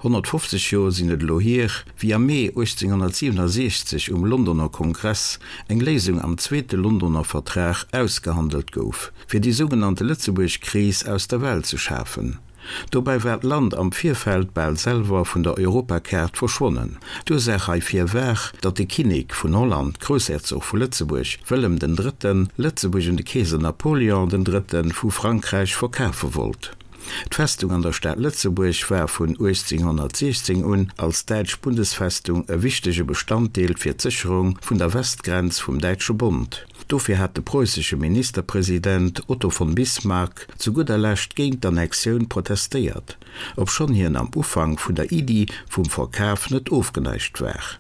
150 Joer sinn et elo hier, wéi am Mee 1867 um Londoner Kongress eng Léisung am Zweete Londoner Vertrag ausgehandelt gouf, fir déi sougenannte Lëtzebuerg-Kris aus der Welt ze schafen. Dobäi war d'Land am Virfeld bal selwer vun der Europakaart verschwonnen. D'Ursaach heifir war, datt de Kinnek vun Holland, Groussherzog vu Lëtzebuerg, Wëllem den Drëtten, Lëtzebuerg un de Keeser Napoleon den Drëtte vu Frankräich verkafe wollt. D'Festung an der Stad Lëtzebuerg war vun 1816 un als däitsch Bundesfestung e wichtege Bestanddeel fir d'Sécherung vun der Westgrenz vum Däitsche Bond. Dofir hat de preussesche Ministerpresident Otto von Bismarck zu gudder Lescht géint d'Annexioun protestéiert, obschonn hien am Ufank vun der Iddi vum Verkaf net ofgeneigt war.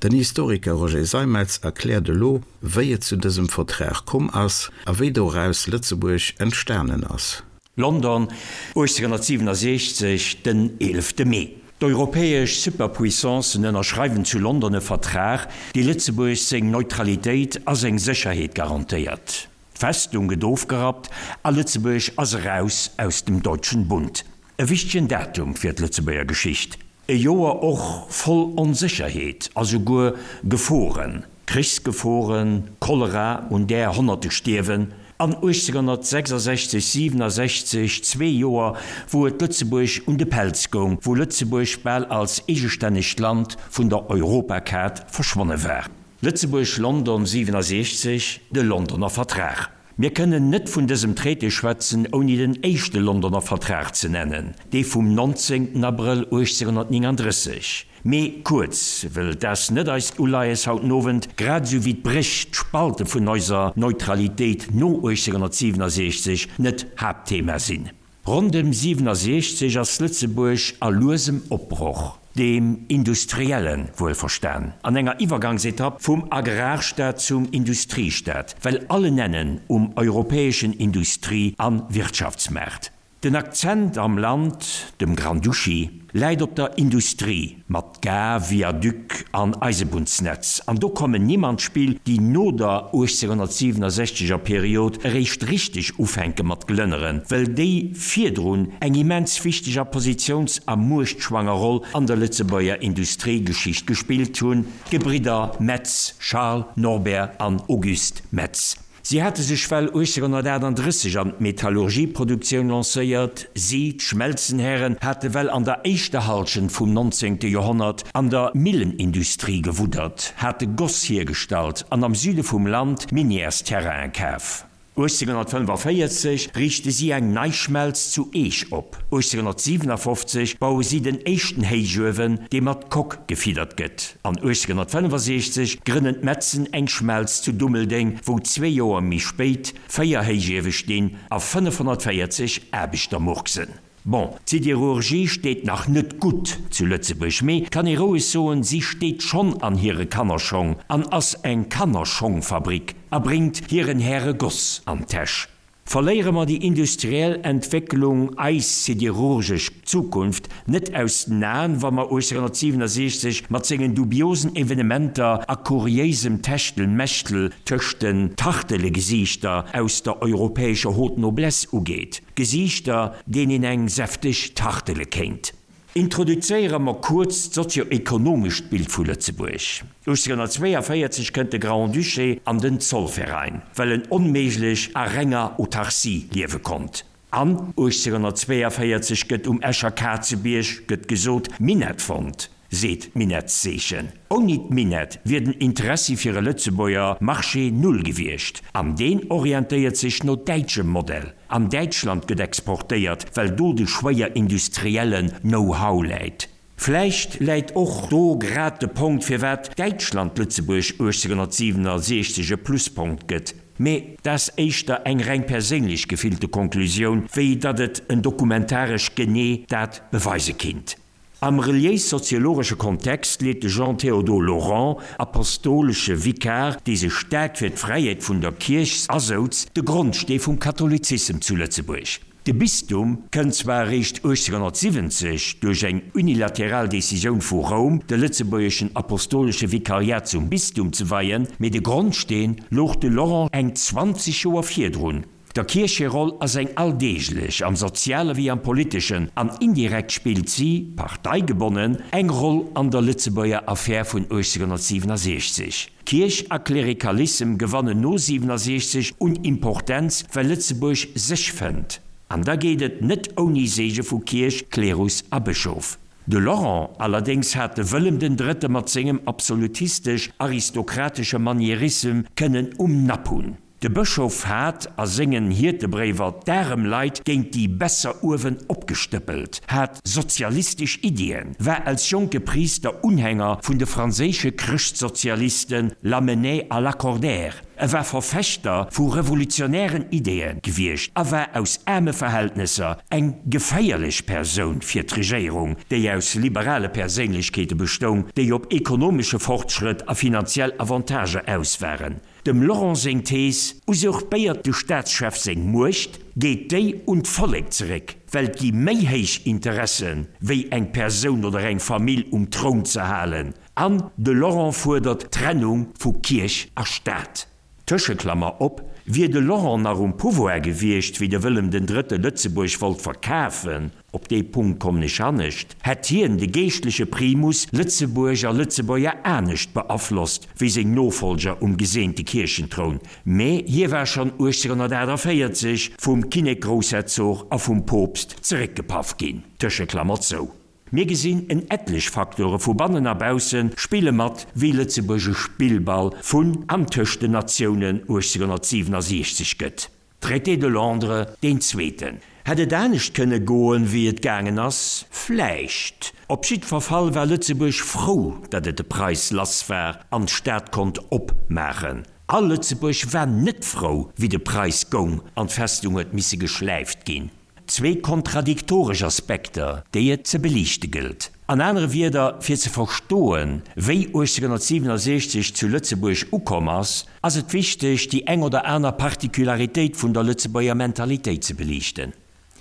Den Historiker Roger Seimetz erkläert elo, wéi et zu dësem Vertrag komm ass a wéi doraus Lëtzebuerg entstanen ass. London, 1867, den 11 Mee. D'europäesch Superpuissancen ënnerschreiwen zu London e Vertrag, dee Lëtzebuerg seng Neutralitéit a seng Sécherheet garantéiert. D'Festung gëtt ofgerappt a Lëtzebuerg ass eraus aus dem Deutschen Bund. E wichtegen Datum fir d'Lëtzebuerger Geschicht. E Joer och voll Onsécherheet a souguer Geforen, Krichsgeforen, Cholera, un där Honnerte stierwen, an 1866, 67, zwee Joer, wou et Lëtzebuerg un de Pelz goung, wou Lëtzebuerg bal als eegestännegt Land vun der Europakaart verschwonne war. Lëtzebuerg-London 67, de Londoner Vertrag. Mir kënnen net vun dësem Traité schwätzen, ouni den éischte Londoner Vertrag ze nennen, dee vum 19. Abrëll 1839. Mee kuerz, wëll 't ass net eist Uleies haut den Owend, grad esou wéi d'Bréch, d'Spalte vun eiser Neutralitéit no 1867 net Haaptthema sinn. Ronndëm 67 ass Lëtzebuerg a luesem Opbroch, deem industrielle wuelverstan, an enger Iwwergangsetapp vum Agrarstaat zum Industriestaat, well allen Ennen um europäeschen Industrie a Wirtschaftsmaart. Den Akzent am Land, dem Grand-Duché, läit op der Industrie, mat Gare, Viaduc an Eisebunnsnetz, an do kommen Nimm an d'Spill, déi no der 1867 er Period eréischt richteg ufänke mat glënneren, well déi virdrun eng immens wichteg a positiouns a muechtschwanger Roll an der Lëtzebuerger Industriegeschicht gespillt hunn, d'Gebridder Metz, Charles, Norbert an Auguste Metz. Si hate sech well 1838 an d'Metallurgieproduktioun lancéiert. Si, d'Schmelzenhären, hate well an der éischter Halschent vum 19. Joerhonnert an der Millenindustrie gewuddert, hate Goss hiergestallt an am Süde vum Land Minièrsterrainen kaf. 1845 riichte si eng nei Schmelz zu Eech op. 1857 baue si den éischten Héichuewen, dee mat Coque gefiddert gëtt. An 1865 grënnen d'Metzen eng Schmelz zu Dummeldeng, wou zwee Joer méi spéit 4 Héichiewe stinn a 540 Aarbechter murksen. Bon, d'Siderurgie steet nach net gutt zu Lëtzebuerg, mee kann ee roueg soen, si steet schonn an hire Kannerschong an ass eng Kannerschongfabrik a bréngt hiren Häre Goss an d'Täsch. Verléiere mer déi industriell Entwécklung, eis siderurgesch Zukunft, net aus den Aen, wa mer 1867 mat sengen dubiosen Evenementer a kuriéisem Techtelmechtel tëscht den Tartelegesiichter aus der europäescher Haute Noblesse ugeet, Gesiichter, deenen een eng säfteg tartele kéint. Introduzéiere mer kuerz d'sozio-ekonomescht Bild vu Lëtzebuerg. 1842 kënnt de Grand-Duché an den Zollverein, well en onméiglech a renger Autarcie liewe konnt. An 1842 gëtt um Escher Kazebierg, gëtt gesot, Minett fonnt. Seet d'Minettseechen. Ouni d'Minett wier den Interessi fir e Lëtzebuerger Marché null gewiescht. An deen orientéiert sech no däitschem Modell. An Däitschland gëtt exportéiert, well do de schwéierindustriellen Know-how läit. Vläicht läit och do grad de Ponkt, firwat Däitschland Lëtzebuerg 1867 e Pluspunkt gëtt. Mee dat ass éischter eng reng perséinlech gefillte Konklusioun, wéi datt et en dokumentaresch genee dat beweise kinnt. Am reliéis-soziologesche Kontext leet de Jean-Théodore Laurent, apostolesche Vikar, dee sech staark fir d'Fräiheet vun der Kierch asouz, de Grondstee vum Katholizissem zu Lëtzebuerg. De Bistum kënnt zwar eréischt 1870 duerch eng unilateral Decisioun vu Roum, de lëtzebuergeschen apostolesche Vikariat zum Bistum ze weien, mee de Grondsteen louch de Laurent eng 20 Joer virdrun. Der Kierch hir Roll ass eng alldeeglech, am Soziale wéi am Politeschen, an indirekt spillt si, parteigebonnen, eng Roll an der Lëtzebuerger Affär vun 1867. Kierch a Klerikalissem gewannen no 67 un Importenz, well Lëtzebuerg sech fënnt. An da geet et net ouni Seege vu Kierch, Klerus a Bëschof. De Laurent allerdéngs hat de Wëllem den Drëtte mat sengem absolutistesch-aristokratesche Manierissem kënnen um Napp hunn. De Bëschof hat a sengen Hiertebréiwer d'arem Leit géint déi besser uewen opgestëppelt, hat sozialistesch Iddien, war als jonke Priister Unhänger vun de franséische Chrëschtsozialisten Lamennais a Lacordaire, e war Verfechter vu revolutionären Ideeë gewiescht a war aus aarme Verhältnesser eng geféierlech Persoun fir d'Regéierung, déi aus liberale Perséinlechkeete bestoung, déi op ekonomesche Fortschrëtt a finanziell Avantagë aus waren. Dem Laurent seng Thees, Usurpéiert de Staatschef seng Muecht, geet déi un d'Vollek zeréck, well et gi méi héich Interessen, wéi eng Persoun oder eng Famill um Troun ze halen. An de Laurent fuerdert d'Trennung vu Kierch a Staat. Tëscheklammer op, Wier de Laurent nach um Pouvoir gewiescht, wéi de Wëllem den Drëtte Lëtzebuerg wollt verkafen, Op dee Punkt kommen ech hannescht, hätt hien, de geeschtleche Primus, Lëtzebuerg a Lëtzebuerger anescht beaflosst wéi seng Nofolger um geseente Kierchentroun, mä hie war schonn 1848 vum Kinnek-Groussherzog a vum Poopst zeréckgepaff ginn. Tëscheklammer zou. Mir gesinn, en etlech Facteure vu bannen a bausse spille mat, wéi Lëtzebuerg e Spillball vun an tëscht den Natiounen 1867 gëtt. Traité de Londres, deen zweeten. Hätt et anescht kënne goen, wéi et gaangen ass? Vläicht. Op jiddwer Fall war Lëtzebuerg frou, datt et de Preis lass war an d'Stad konnt opmaachen. A Lëtzebuerg war net frou, wéi de Preis goung an d'Festung huet misse geschläift ginn. Zwee kontradiktoresch Aspekter, déi et ze beliichte gëllt. An anere Wierder, fir ze verstoen, wéi 1867 zu Lëtzebuerg ukomm ass, ass et wichteg, déi eng oder aner Particularitéit vun der Lëtzebuerger Mentalitéit ze beliichten.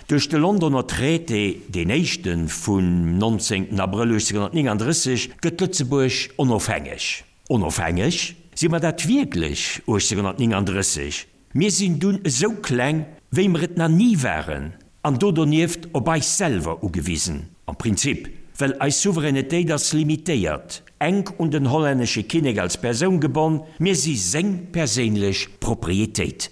Duerch de Londoner Traité, deen éischte vum 19 Abrëll 1839, gëtt Lëtzebuerg onofhängeg. Onofhängeg? Si mer dat wierklech 1839? Mir sinn dunn esou kleng, wéi mer et na ni waren, an do donieft op eis selwer ugewisen, am Prinzip, well eis Souveränetéit ass limitéiert, enk un den hollännesche Kinnek als Persoun gebonn, mir si seng perséinlech Proprietéit.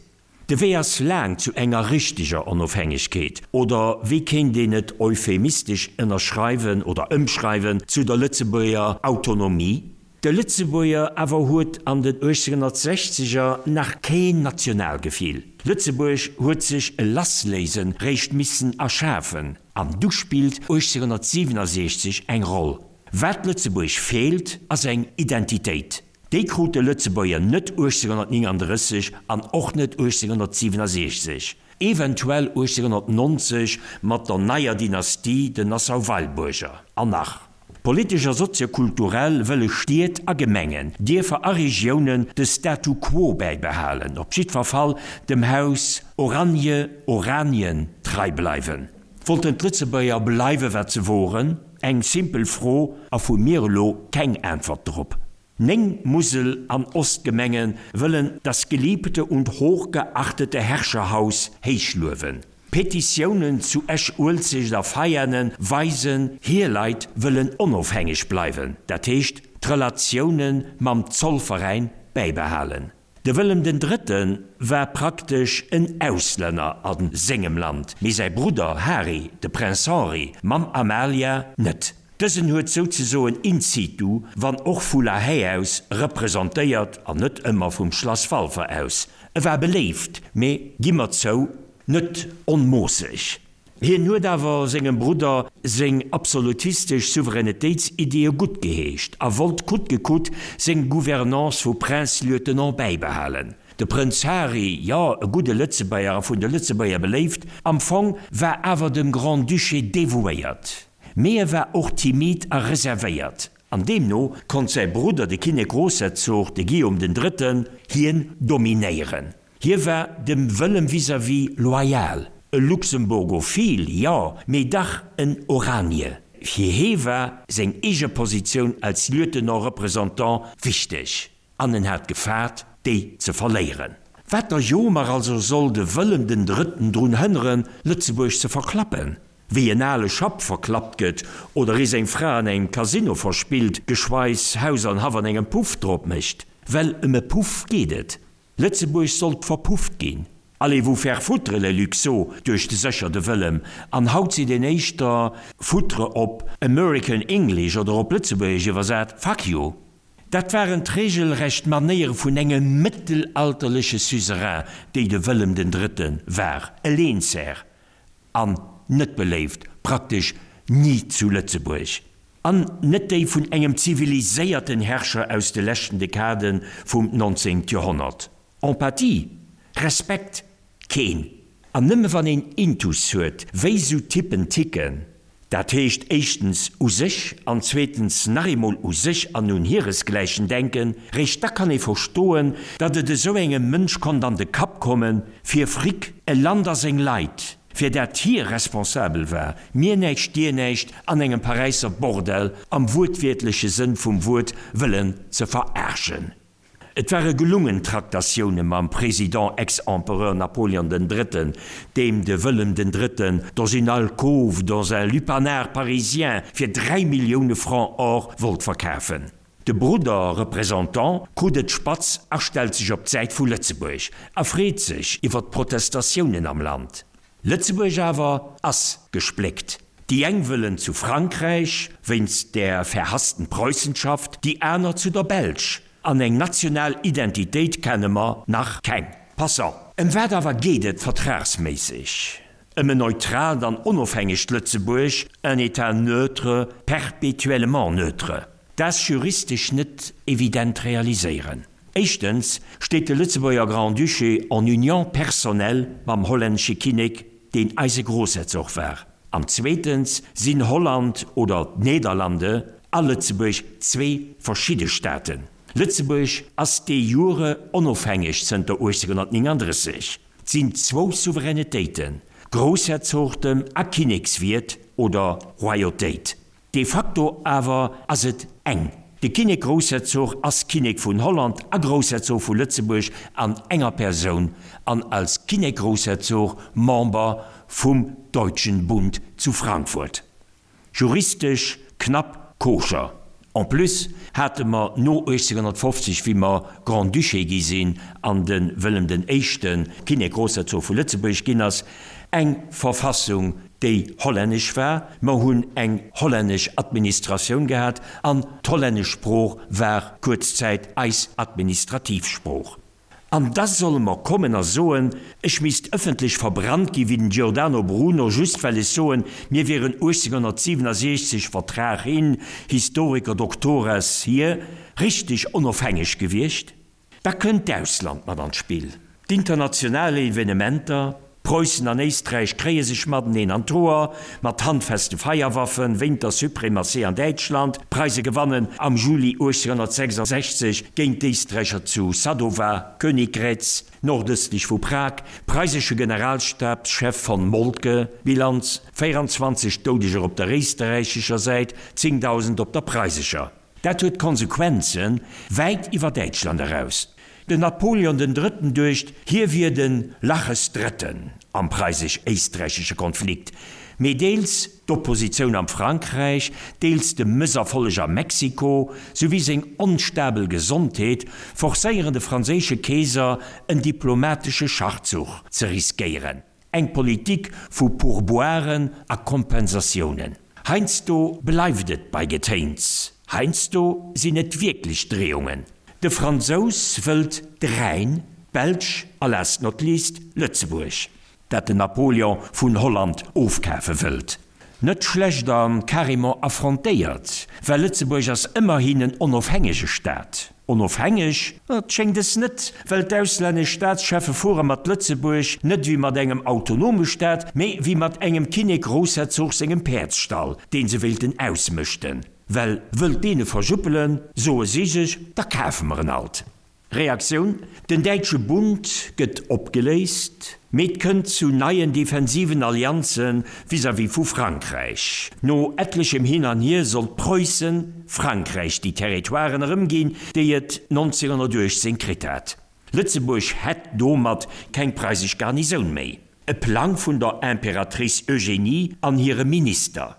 De Wee ass laang zu enger richteger Onofhängegkeet, oder wéi kéint een et euphemistesch ënnerschreiwen oder ëmschreiwen, zu der Lëtzebuerger Autonomie? De Lëtzebuerger awer huet an den 1860er nach keen Nationalgefill. Lëtzebuerg huet sech e Lassléisen réischt missen erschafen, an du spillt 1867 eng Roll. Wat Lëtzebuerg feelt, ass eng Identitéit. Déi krut de Lëtzebuerger net 1839 an och net 1867, eventuell 1890 mat der neier Dynastie, den Nassau-Weilburger, an nach. Politesch a soziokulturell wëlle Stied a Gemengen, Dierfer a Regiounen de Statu quo bäibehalen, op jiddwer Fall dem Haus Oranje, Oranien, trei bleiwen. Wollten d'Lëtzebuerger bleiwe wat se woren? Eng simpel Fro a vu mir elo keng Äntwert drop. Néng Musel an Ostgemenge wëllen das geliebte und hochgeachtete Herrscherhaus héichluewen. Petitiounen zu Esch-Uelzecht a Veianen weisen, hir Leit wëllen onofhängeg bleiwen, dat heescht d'Relatioune mam Zollveräin bäibehalen. De Wëllem den Drëtte war praktesch en Auslänner a sengem Land, mee säi Brudder Hari, de Prince Henri, mam Amalia net. Dësen huet souzesoen in situ, wann och vu La Haye aus, representéiert an net ëmmer vum Schlass Walfer aus. E war beléift, mee, gi mer zou, net onmoosseg. Hien huet awer sengem Brudder seng absolutistesch Souveränetéitsiddie guttgeheescht a wollt coûte que coûte seng Gouvernance vu Prince-Lieutenant bäibehalen. De Prënz Hari, jo, e gudde Lëtzebuerger a vun de Lëtzebuerger beléift, am Fong, war awer dem Grand-Duché devouéiert. Mee e war och timid a reservéiert, an deemno konnt säi Brudder, de Kinnek-Grossherzog, de Guillaume den Drëtten, hien dominéieren. Hie war dem Wëllem vis-à-vis loyal, e Luxemburgophil, jo, mee dach en Oranier. Fir hee war seng eege Positioun als Lieutenant-représentant wichteg. An en hat gefaart, déi ze verléieren. Wat der Jomer also soll de Wëllem den Drëtten drun hënneren, Lëtzebuerg ze verklappen? Wéi en ale Schapp verklappt gëtt oder ee seng Fra an engem Casino verspillt, geschweis Haus an Haff an engem Puff drop mécht. Well ëm e Puff geet et. Lëtzebuerg sollt verpufft ginn. Allez vous faire foutre les Luxo, duecht sécher de Wëllem, an haut seet een éischter foutre op American English oder op Lëtzebuergesch iwwersat fuck you. Dat waren d'regelrecht Manéiere vun engem mëttelalterleche Suzerain, déi de Wëllem den Drëtte war, e Lehnsherr an net beléift, praktesch ni zu Lëtzebuerg, an net déi vun engem ziviliséierten Herrscher aus de leschten Dekade vum 19. Joerhonnert. Empathie? Respekt? Keen. An nëmme wann een Intus huet, wéi sou Typen ticken, dat heescht éischtens u sech an zweetens nach eemol u sech an un hiresgläichen denken, réischt da kann ee verstoen, datt et esou engem Mënsch konnt an de Kapp kommen, fir Fric, e Land a seng Leit, fir dat hie responsabel war, mir näischt dir näischt, an engem Paräisser Bordell am wuertwiertleche Sënn vum Wuert wëllen ze veraarschen. Et ware gelungen Traktatioune mam Président ex-Empereur Napoleon den Drëtten, deem de Wëllem den Drëtten dans une alcôve dans un lupanar parisien fir 3 Millioune Francs or wollt verkafen. De Brudder Représentant krut et spatz a stellt sech op d'Säit vu Lëtzebuerg a freet sech iwwer d'Protestatiounen am Land. Lëtzebuerg awer ass gespléckt. Déi eng wëllen zu Frankräich, wéinst där verhassten Preussenschaft, déi aner zu der Belsch. An eng national Identitéit kenne mer nach keng. Passant. Ëm wat awer geet et vertragsméisseg? Ëm en neutraalt an onofhängegt Lëtzebuerg, un État neutre, perpétuellement neutre. Dat ass juristesch net evident realiséieren. Éischtens steet de Lëtzebuerger Grand-Duché en union personnelle mam hollännesche Kinnek, deen eise Grossherzog war, an zweetens sinn Holland oder d'Nederlande a Lëtzebuerg zwee verschidde Staaten. Lëtzebuerg ass de jure onofhängeg zënter 1839. 't sinn zwou Souveränetéiten, Groussherzogtem a Kinnekswiert oder Royautéit. De facto awer ass et eng. De Kinnek-Groussherzog ass Kinnek vun Holland a Groussherzog vu Lëtzebuerg an enger Persoun an als Kinnek-Groussherzog Member vum Deutschen Bund zu Frankfurt. Juristesch knapp koscher. En plus hate mer no 1850, wéi mer Grand-Duché gi sinn an de Wëllem den Éischte Kinnek-Groussherzog vu Lëtzebuerg ginn ass, eng Verfassung, déi hollännesch war. Mer hunn eng hollännesch Administratioun gehat an d'hollännesch Sprooch war kuerz Zäit eis administrativ Sprooch. An da solle mer kommen a soen, ech misst ëffentlech verbrannt gi wéi den Giordano Bruno, just well ech soen, mir wieren 1867, Vertrag hin, Historiker Doctores hier, richteg onofhängeg gewiescht. Da kënnt d'Ausland mat an d'Spill, d'international Evenementer, Preussen an Éisträich kréie sech mateneen an d'Hoer, mat handfeste Feierwaffen, wéint der Suprematie an Däitschland, d'Preise gewannen am Juli 1866 géint d'Éisträicher zu Sadowa, Königgrätz, nordëstlech vu Prag, preisesche Generalstabschef von Moltke, Bilanz, 24 Doudeger op der éisterräichescher Säit, 10.000 op der preisescher. Dat huet Konsequenze wäit iwwer Däitschland eraus. Den Napoleon den Drëtten duecht, hie wier de Laches Drëtten am preisesch-éisträichesche Konflikt, mee deels d'Oppositioun am Frankräich, deels de Mësserfolleg a Mexiko, souwéi seng onstabel Gesondheet forcéieren de franséische Keeser en diplomatesche Schachzuch ze riskéieren. Eng Politik vu Pourboiren a Kompensatiounen. Heiansdo bleift et bei Getéins, heiansdo sinn et wierklech Dreeungen. De Fransous wëllt de Rhäin, d'Belsch a last not least Lëtzebuerg, dat den Napoleon vun Holland ofkafe wëllt. Net schlecht a carrément affrontéiert, well Lëtzebuerg ass ëmmerhin en onofhängege Staat. Onofhängeg? Et schéngt es net, well d'auslännesch Staatscheffe fuere mat Lëtzebuerg net wéi mat engem autonome Staat, mee wéi mat engem Kinnek-Groussherzog sengem Päerdsstall, deen se wéilten ausmëschten. Well wëllt deen e verjuppelen, soe si sech, da kafe mer en alt. Reaktioun, Den däitsche Bund gëtt opgeléist, mee et kënnt zu neien defensiven Allianze vis-à-vis vu Frankräich. No etlechem Hin an Hier sollt Preussen Frankräich déi Territoiren erëmginn, déi et 1918 kritt hat. Lëtzebuerg hätt domat keng preisesch Garnisoun méi. E Plang vun der Imperatrice Eugénie an hire Minister.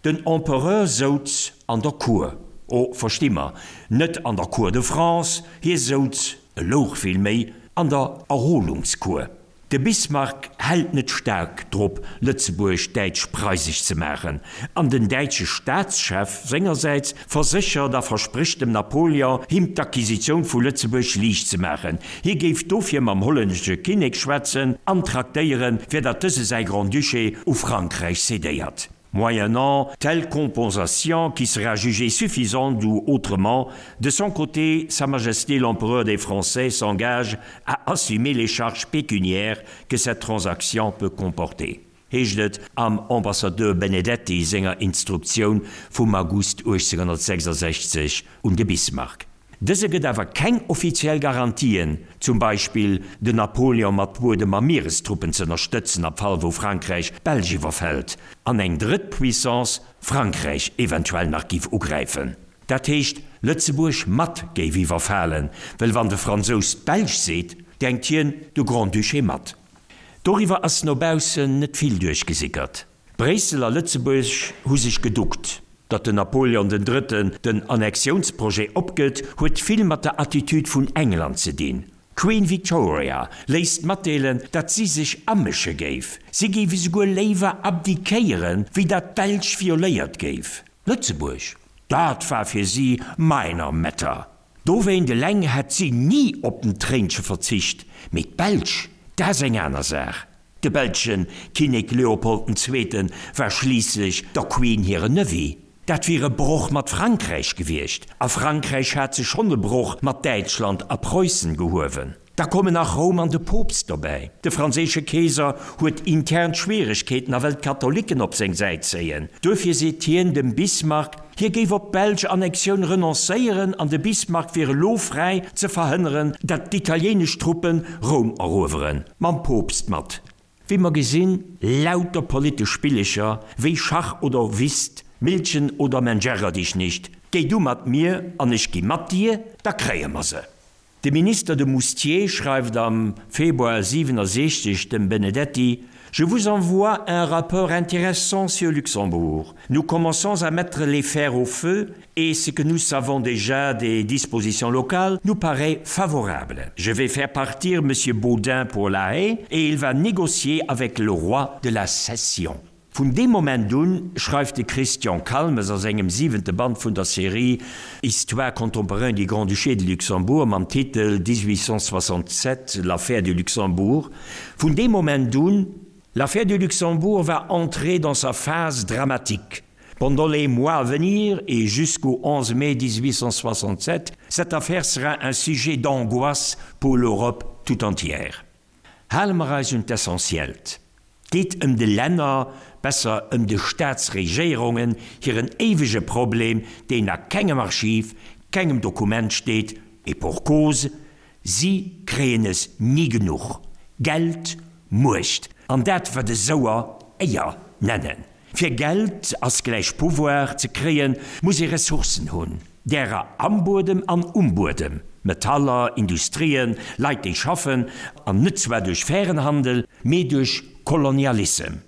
Den Empereur souz an der Cour, oh, versti mer, net an der Cour de France, hie souz, e louch villméi, an der Erholungscour. De Bismarck hält net staark drop, Lëtzebuerg däitsch-preisesch ze maachen, an den däitsche Staatschef sengersäits verséchert a versprécht dem Napoleon, him d'Acquisitioun vu Lëtzebuerg liicht ze maachen. Hie géif dofir mam hollännesche Kinnek schwätzen an traktéieren, fir datt dëse säi Grand-Duché u Frankräich cédéiert. Moyennant telle compensation qui sera jugée suffisante ou autrement, de son côté, Sa Majesté l'Empereur des Français s'engage à assumer les charges pécuniaires que cette transaction peut comporter. Heescht et am Ambassadeur Benedetti senger Instruktioun vum August 1866 un de Bismarck. Dëse gëtt awer keng offiziell Garantien, zum Beispill den Napoleon mat Buedem a Mierestruppen z'ënnerstëtzen am Fall wou Frankräich d'Belsch iwwerfält an eng drëtt Puissance Frankräich eventuell nach giff ugräifen. Dat heescht Lëtzebuerg mat géif iwwerfalen, well wann de Fransous d'Belsch seet, denkt hien de Grand-Duché mat. Doriwwer ass no baussen net vill duerchgesickert. Bréissel a Lëtzebuerg hu sech geduckt. Datt den Napoleon den Drëtten den Annexiounsprojet opgëtt, huet vill mat der Attitude vun England ze dinn. D'Queen Victoria léisst matdeelen, datt si sech amësche géif. Si géif esouguer léiwer abdiquéieren, wéi datt d'Belsch violéiert géif. Lëtzebuerg, dat war fir si minor matter. Dowéint eleng hätt si ni op den Tréinche verzicht, mee d'Belsch, dat ass eng aner Saach. De belsche Kinnek Leopold den Zweete war schliisslech der Queen hire Nevi. Dat wier e Broch mat Frankräich gewiescht, a Frankräich hat sech schonn e Broch mat Däitschland a Preussen gehuewen. Da kommen nach Roum an de Poopst dobäi. De franséische Keeser huet intern Schwieregkeeten a wëll d'Katholicken op seng Säit zéien. Duerfir seet hien dem Bismarck, hie géif op d'belsch Annexioun renoncéieren an de Bismarck wier elo fräi ze verhënneren, datt d'italiéinesch Truppe Roum erueweren. Mam Poopst mat. Wéi mer gesinn, lauter politesch Spillecher, wéi Schach oder Whist, Millchen oder Mensch ärger dich nicht, géi du mat mir an ech gi mat dir, da kréie mer se. De Minister de Moustier schreift am Februar 67 dem Benedetti, Je vous envoie un rapport intéressant sur Luxembourg. Nous commençons à mettre les fers au feu et ce que nous savons déjà des dispositions locales nous paraît favorable. Je vais faire partir monsieur Baudin pour La Haye et il va négocier avec le roi de la cession. Vun deem Moment un, schreift de Christian Calmes a sengem siwente Band vun der Serie Histoire contemporaine du Grand-Duché de Luxembourg mam Titel 1867, l'affaire du Luxembourg, vun deem Moment un, L'affaire du Luxembourg va entrer dans sa phase dramatique. Pendant les mois à venir et jusqu'au 11 mai 1867, cette affaire sera un sujet d'angoisse pour l'Europe tout entière. Hale mer eis un d'Essentiellt. D'geet ëm de Länner, besser ëm de Staatsregéierungen hiren éiwege Problem, deen a kengem Archiv, kengem Dokument steet, et pour cause, si kréien es ni genuch, Geld, Muecht, an dat wat esouer Éier nennen. Fir Geld ass gläich Pouvoir ze kréien, muss ee Ressourcen hunn, därer am Buedem an um Buedem, Metaller, Industrien, Leit déi schaffen, an net zwar duerch fairen Handel, mee duerch Kolonialissem.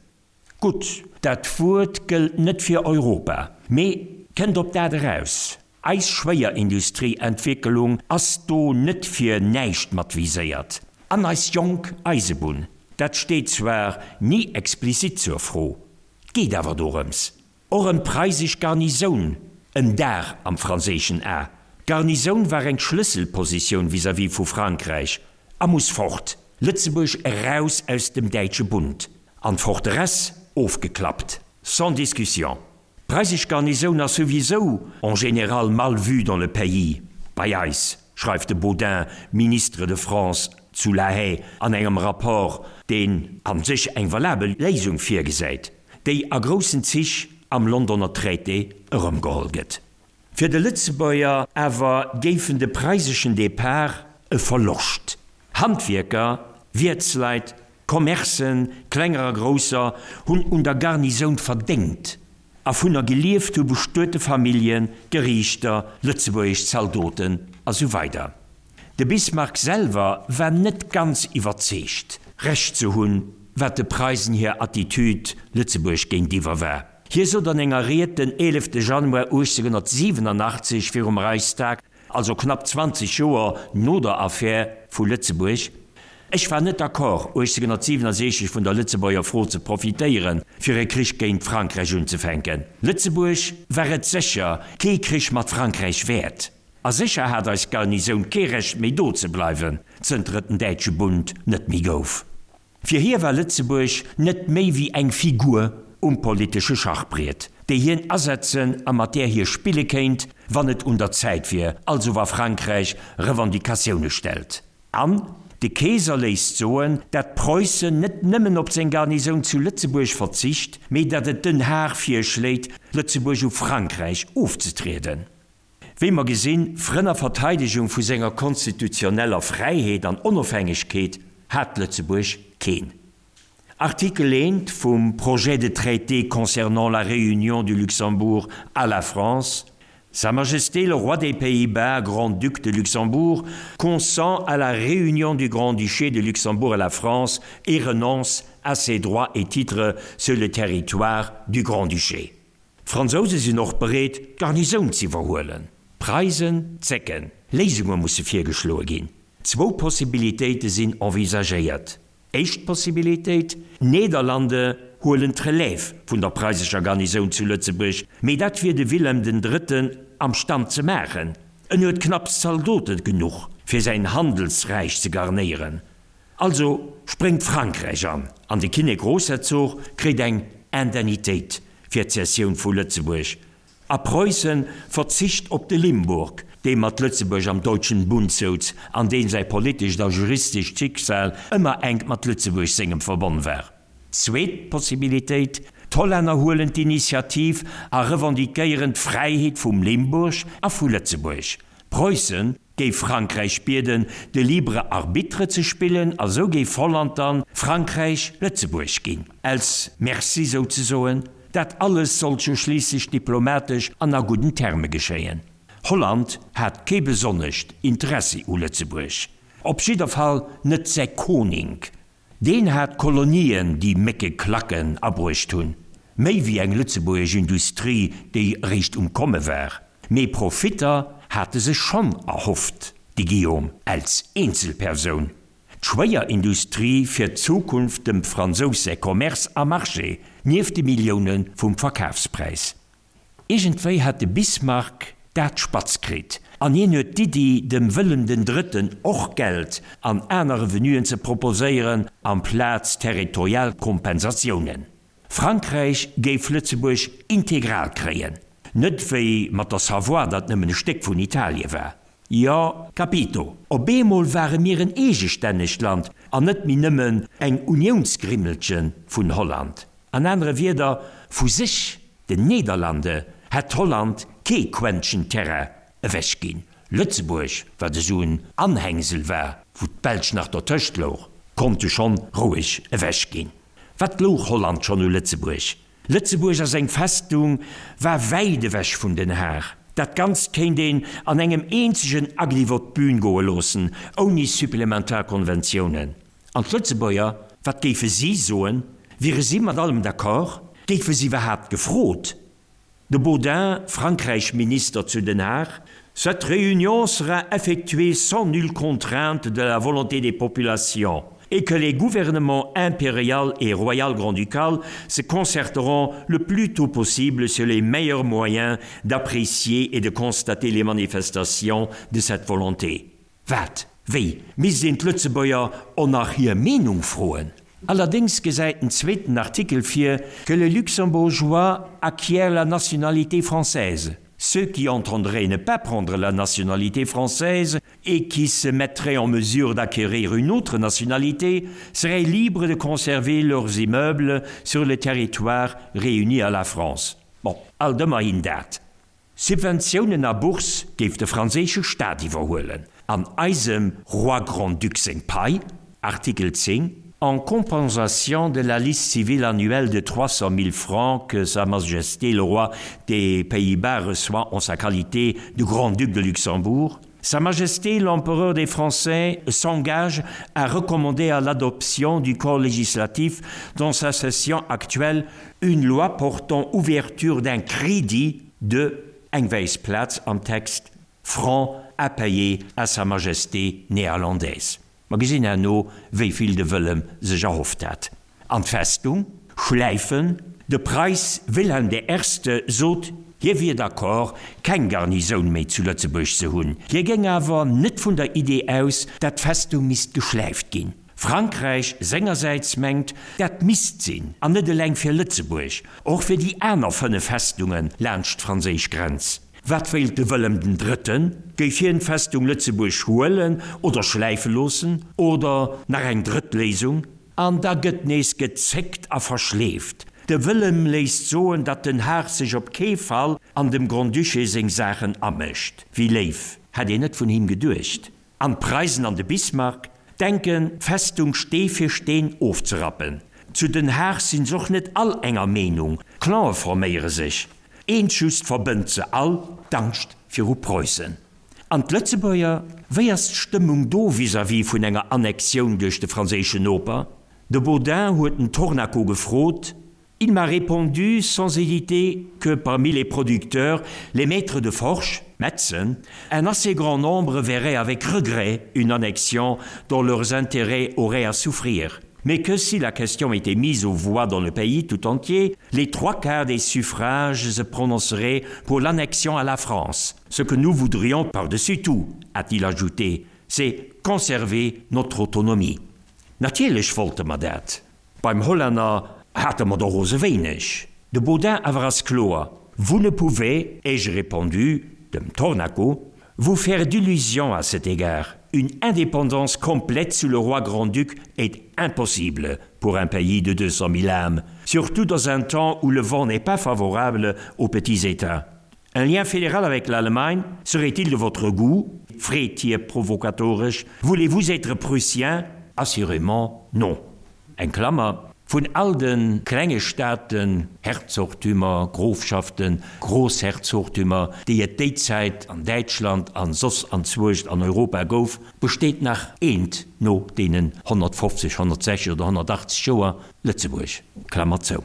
Gutt, dat Wuert gëllt net fir Europa, mee kënnt op dat eraus. Eis Schwéierindustrieentwéckelung ass do net fir näischt mat viséiert. An eis jonk Eisebunn, dat steet zwar ni explizit zur Fro, 't geet awer dorëms. Och ëm d'preisesch Garnisoun, en Dar am franséischen A. D'Garnisoun war eng Schlësselpositioun vis-à-vis vu Frankräich a muss fort. Lëtzebuerg eraus aus dem däitsche Bund an d'Forteresse ofgeklappt, sans discussion. D'preisesch Garnisoun ass souwisou en général mal vue dans le pays, bei eis, schreift de Baudin, Ministre de France zu La Haye an engem Rapport, deen a sech eng valabel Léisung virgesäit, déi a groussen Zich am Londoner Traité erëmgeholl gëtt. Fir de Lëtzebuerger awer géifen de preiseschen Depart e Verloscht. Handwierker, Wiertsleit, Commercen, klenger a grousser, hunn un der Garnisoun verdéngt a vunner gelieft hu bestuete Familljen, Geriichter, lëtzebuergesch Zaldoten a sou weider. De Bismarck selwer war net ganz iwwerzeegt, Recht ze hunn, wat de Preisen hir Attitüd Lëtzebuerg géintiwwer war. Hie sot an enger Ried den 11 Januar 1887 virum Reichstag, also knapp 20 Joer no der Affär vu Lëtzebuerg, Ech war net d'accord, 1867 vun der Lëtzebuerger Fro ze profitéieren, fir e Krich géint Frankräich unzefänken. Lëtzebuerg war et sécher kee Krich mat Frankräich wäert. A sécher hat eis Garnisoun kee Recht méi do ze bleiwen, zënter et den Däitsche Bund net méi gouf. Fir hie war Lëtzebuerg net méi wéi eng Figur um politesche Schachbriet, déi hien asetzen a mat där hie spille kéint, wann et un der Zäit wier, also wa Frankräich Revendicatioune stellt. An de Keeser léisst soen, dat Preussen net nëmmen op seng Garnisoun zu Lëtzebuerg verzicht, mee dat et Den Haag virschléit, Lëtzebuerg u Frankräich ofzetrieden. Wéi mer gesinn, Frënn a Verteidegung vu senger konstitutioneller Fräiheet an Onofhängegkeet hat Lëtzebuerg keen. Artikel I vum Projet de traité concernant la réunion du Luxembourg à la France, Sa Majesté le Roi des Pays-Bas, Grand-Duc de Luxembourg, consent à la réunion du Grand-Duché de Luxembourg à la France et renonce à ses droits et titres sur le territoire du Grand-Duché. D'Fransouse sinn och bereet, d'Garnisoun z'iwwerhuelen. D'Preisen zécken. Léisunge musse virgeschloe ginn. Zwou Possibilitéite sinn envisagéiert. Éischt Possibilitéit, D'Nederlande huelen d'Relève vun der preisescher Garnisoun zu Lëtzebuerg, mee dat wier de Wilhelm den Drëtten am Stand ze maachen. En huet knapps Zaldote genuch, fir säin Handelsräich ze garnéieren. Also spréngt Frankräich an, an de Kinnek-Grossherzog kréit eng Indemnitéit fir d'Cessioun vu Lëtzebuerg, a Preussen verzicht op de Limburg, dee mat Lëtzebuerg am Deutschen Bund souz an deem säi politescht a juristescht Schicksal ëmmer enk mat Lëtzebuerg sengem verbonn war. Zweet Possibilitéit, D'Hollänner huelen d'Initiativ a revendiquéieren d'Fräiheet vum Limburg a vu Lëtzebuerg. Preussen géif Frankräich bieden, de libre arbitre ze spillen a sou géif Holland dann Frankräich Lëtzebuerg ginn, als Merci souzesoen. Dat alles sollt jo schliisslech diplomatesch an a gudden Terme geschéien. Holland hat kee besonnescht Interessi u Lëtzebuerg, op jidder Fall net säi Koning. Deen hat Kolonien, déi Mécke Klacken abruecht hunn, méi wéi eng lëtzebuergesch Industrie, déi eréischt um Komme war. Mee Profitter hat e sech schonn erhofft, de Guillaume als Eenzelpersoun. D'Schwéierindustrie fir d'Zukunft, dem Fransous säi Commerce a Marché, nieft de Millioune vum Verkafspräis. Iergendwéi hat de Bismarck dat spatz kritt an hien huet d'Iddi, dem Wëllem den Drëtten och Geld an aner Revenuen ze proposéieren amplaz territorial Kompensatiounen. Frankräich géif Lëtzebuerg integral kréien, net wéi mat der Savoie, dat nëmmen e Stéck vun Italie war. Jo, capito, op eemol ware mir en eegestännegt Land an net méi nëmmen eng Uniounsgrimmelche vun Holland. An anere Wierder, vu sech, den Nederlande, hätt Holland kee Quäntchen Terrain ewech ginn. Lëtzebuerg, wat esou en Anhängsel war, wou d'Belsch nach dertëscht louch, konnt du schonn roueg ewech ginn. Wat louch Holland schonn u Lëtzebuerg? Lëtzebuerg a seng Festung war wäit ewech vun Den Haag. Dat Ganzt kéint een an engem eenzegen Agliff op d'Bühn goe loossen, ouni supplementar Konventiounen. An d'Lëtzebuerger, wat géife si soen? Wiere si mat allem d'accord? Géife si iwwerhaapt gefrot? De Baudin, Frankräich-Minister zu Den Haag, Cette réunion sera effectuée sans nulle contrainte de la volonté des populations et que les gouvernements impérial et royal grand-ducal se concerteront le plus tôt possible sur les meilleurs moyens d'apprécier et de constater les manifestations de cette volonté. Wat? Wéi? Misst een d'Lëtzebuerger och nach hir Meenung froen? Allerdéngs gesäit den zweeten Artikel vir, que les Luxembourgeois acquièrent la nationalité française. Ceux qui entendraient ne pas prendre la nationalité française et qui se mettraient en mesure d'acquérir une autre nationalité seraient libres de conserver leurs immeubles sur le territoire réuni à la France. Bon, alt ëmmerhin dat. Subventiounen a Bourse géif de franséische Staat iwwerhuelen, an eisem Roi Grand-Duc seng Pai, Artikel 10, en compensation de la liste civile annuelle de 300 000 francs que Sa Majesté le Roi des Pays-Bas reçoit en sa qualité de Grand-Duc de Luxembourg. Sa Majesté l'Empereur des Français s'engage à recommander à l'adoption du corps législatif dans sa session actuelle une loi portant ouverture d'un crédit de eng wäiss Plaz am Text francs à payer à Sa Majesté néerlandaise. Mer gesinn herno, wéi vill de Wëllem sech erhofft hat. An d'Festung schläifen. De Preiss Wilhelm der Erste sot, hie wier d'accord, keng Garnisoun méi zu Lëtzebuerg ze hunn. Hie géing awer net vun der Idee aus, dat d'Festung misst geschläift ginn. Frankräich sengersäits mengt, dat misst sinn, an net eleng fir Lëtzebuerg, och fir déi aner 5 Festunge laanscht d'franséisch Grenz. Wat wéilt de Wëllem den Drëtten? Géif hien d'Festung Lëtzebuerg huelen oder schläife loossen? Oder nach eng drëtt Léisung? An da gëtt nees gezéckt a verschleeft. De Wëllem léisst soen, datt Den Haag sech op kee Fall an dem Grand-Duché seng Saachen amëscht. Wéi léif, hätt een net vun him geduecht. An d'Preisen an de Bismarck denken, d'Festung Stee fir Steen ofzerappen. Zu Den Haag sinn s'och net all enger Meenung, Clane forméiere sech. Eent just verbënnt se all, d'Angscht viru Preussen. An d'Lëtzebuerger? Wéi ass d'Stëmmung do vis-à-vis vun enger Annexioun duerch de franséischen Noper? De Baudin huet den Tornaco gefrot. Il m'a répondu sans hésiter que parmi les producteurs, les maîtres de forge, Metzen, un assez grand nombre verraient avec regret une annexion dont leurs intérêts auraient à souffrir mais que si la question était mise aux voix dans le pays tout entier, les trois quarts des suffrages se prononceraient pour l'annexion à la France. Ce que nous voudrions par-dessus tout, a-t-il ajouté, c'est conserver notre autonomie. Natierlech wollte mer dat. Beim Hollänner hate mer der rose wéineg. De Baudin awer ass kloer, Vous ne pouvez, ai-je répondu, dem Tornaco, vous faire d'illusions à cet égard. Une indépendance complète sous le roi Grand-Duc est impossible pour un pays de 200 000 âmes, surtout dans un temps où le vent n'est pas favorable aux petits États. Un lien fédéral avec l'Allemagne serait-il de votre goût? Freet hie provokatoresch. Voulez-vous être prussien? Assurément non. Eng Klammer, Vun all de klenge Staaten, Herzogtümer, Grofschaften, Grossherzogtümer, déi et déi Zäit an Däitschland an soss anzwuecht an Europa gouf, besteet nach eent no deenen 150, 160 oder 180 Joer, Lëtzebuerg. Klammer zou.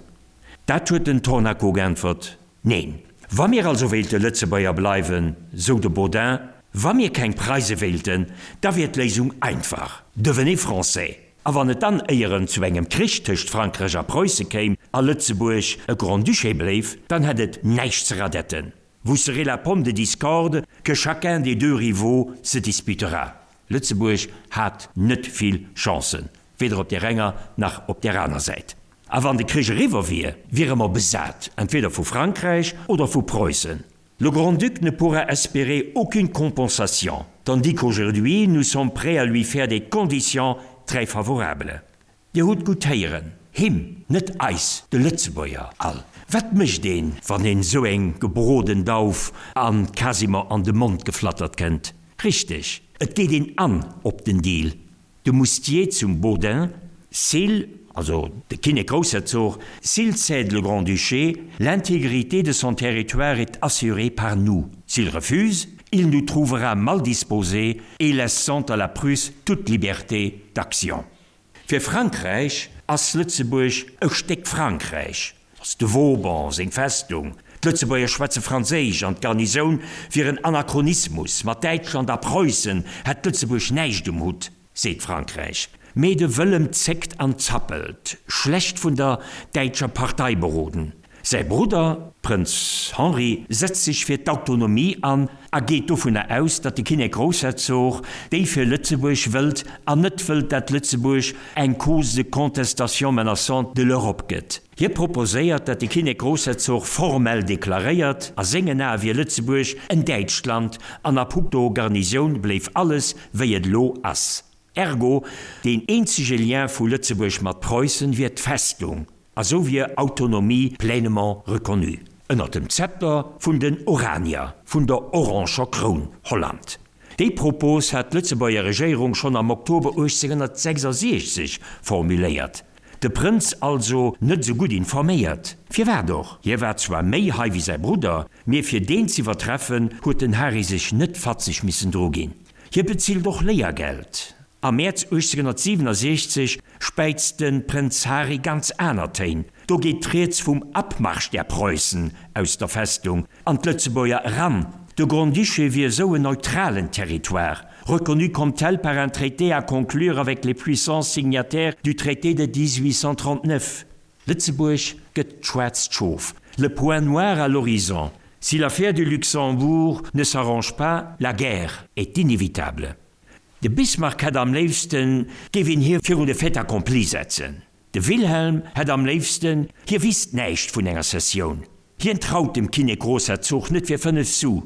Dat huet den Tornaco geäntwert, Neen. Wa mir also wéilte Lëtzebuerger bleiwen, sou de Baudin, wa mir keng Preise wéilten, da wier d'Léisung einfach, Devenez Français! A wann et dann éieren zu engem Krich tëscht Frankräich a Preusse kéim a Lëtzebuerg e Grand-Duché bléif, dann hätt et näischt ze radetten. Vous serez la pomme de discorde que chacun des deux rivaux se disputera. Lëtzebuerg hat net vill Chancen, weder op där enger nach op där aner Säit. A wann de Krich eriwwer wier, wiere mer besat, entweder vu Frankräich oder vu Preussen. Le Grand-Duc ne pourra espérer aucune compensation, tandis qu'aujourd'hui nous sommes prêts à lui faire des conditions très favorables. Dir hutt gutt héieren, him, net eis, de Lëtzebuerger all. Wat mécht een, wann een esou eng gebroden Dauf an quasiment an de Mond geflattert kënnt? Richteg, et geet een an op den Deal. De Moustier zum Baudin, S'il, also de Kinnek-Groussherzog, s'il cède le Grand-Duché, l'intégrité de son territoire est assurée par nous. S'il refuse, il nous trouvera mal disposés et laissant à la Prusse toute liberté d'action. Fir Frankräich ass Lëtzebuerg e Stéck Frankräich, ass de Vauban seng Festung, d'Lëtzebuerger schwätze Franséisch an d'Garnisoun wier en Anachronismus, mat Däitschland a Preussen hätt Lëtzebuerg näischt um Hutt, seet Frankräich. Mee de Wëllem zéckt an zappelt, schlecht vun der däitscher Partei beroden. Säi Brudder, Prënz Henri, setzt sech fir d'Autonomie an a geet dovunner aus, datt de Kinnek-Groussherzog déi fir Lëtzebuerg wëllt an net wëllt, dat Lëtzebuerg eng cause de contestation menaçante de l'Europe gëtt. Hie proposéiert, dat de Kinnek-Groussherzog formell deklaréiert, a sengen Ae wier Lëtzebuerg en däitscht Land an a puncto Garnisoun bléif alles wéi et elo ass. Ergo, deen eenzege Lien vu Lëtzebuerg mat Preussen wier d'Festung, a sou wier Autonomie pleinement reconnue ënnert dem Zepter vun den Oranier, vun der oranger Kroun Holland. Déi Propos hat d'Lëtzebuerger Regéierung schonn am Oktober 1866 formuléiert. De Prënz also net esou gutt informéiert. Firwat och? Hie war zwar méi hei wéi säi Brudder, mee fir deen z'iwwertreffen, huet den Hari sech net fatzeg missen druginn. Hie bezilt och Léiergeld. Am Mäerz 1867 späizt de Prënz Hari ganz aner Téin. Do geet d'Rieds vum Abmarsch der Preußen aus der Festung an d'Lëtzebuerger eran. De Grand-Duché wier esou en neutralen Territoire, reconnu comme tel par un traité à conclure avec les puissances signataires du traité de 1839. Lëtzebuerg gëtt d'schwaarzt Schof, le point noir à l'horizon. Si l'affaire du Luxembourg ne s'arrange pas, la guerre est inévitable. De Bismarck hätt am léifsten, géif een hie virun de Fait accompli setzen. De Wilhelm hätt am léifsten, hie wisst näischt vun enger Sessioun. Hien traut dem Kinnek-Großherzog net fir 5 Su.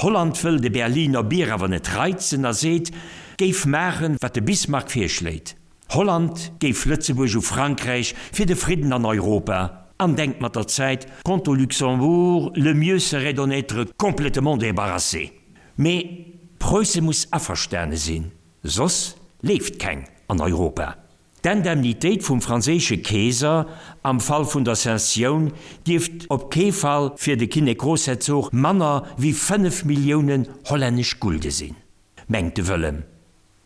Holland wëll de Berliner Bier awer net reizen a seet, géif maachen, wat de Bismarck virschléit. Holland géif Lëtzebuerg u Frankräich fir de Fridden an Europa an denkt mat der Zäit, Quant au Luxembourg, le mieux serait d'en être complètement débarrassé. Mee Preusse muss averstane sinn, soss leeft keng an Europa. D'Indemnitéit vum franséische Keeser am Fall vun der Cessioun dierft op kee Fall fir de Kinnek-Grossherzog manner wéi 5 Milliounen hollännesch Gulde sinn, mengt de Wëllem.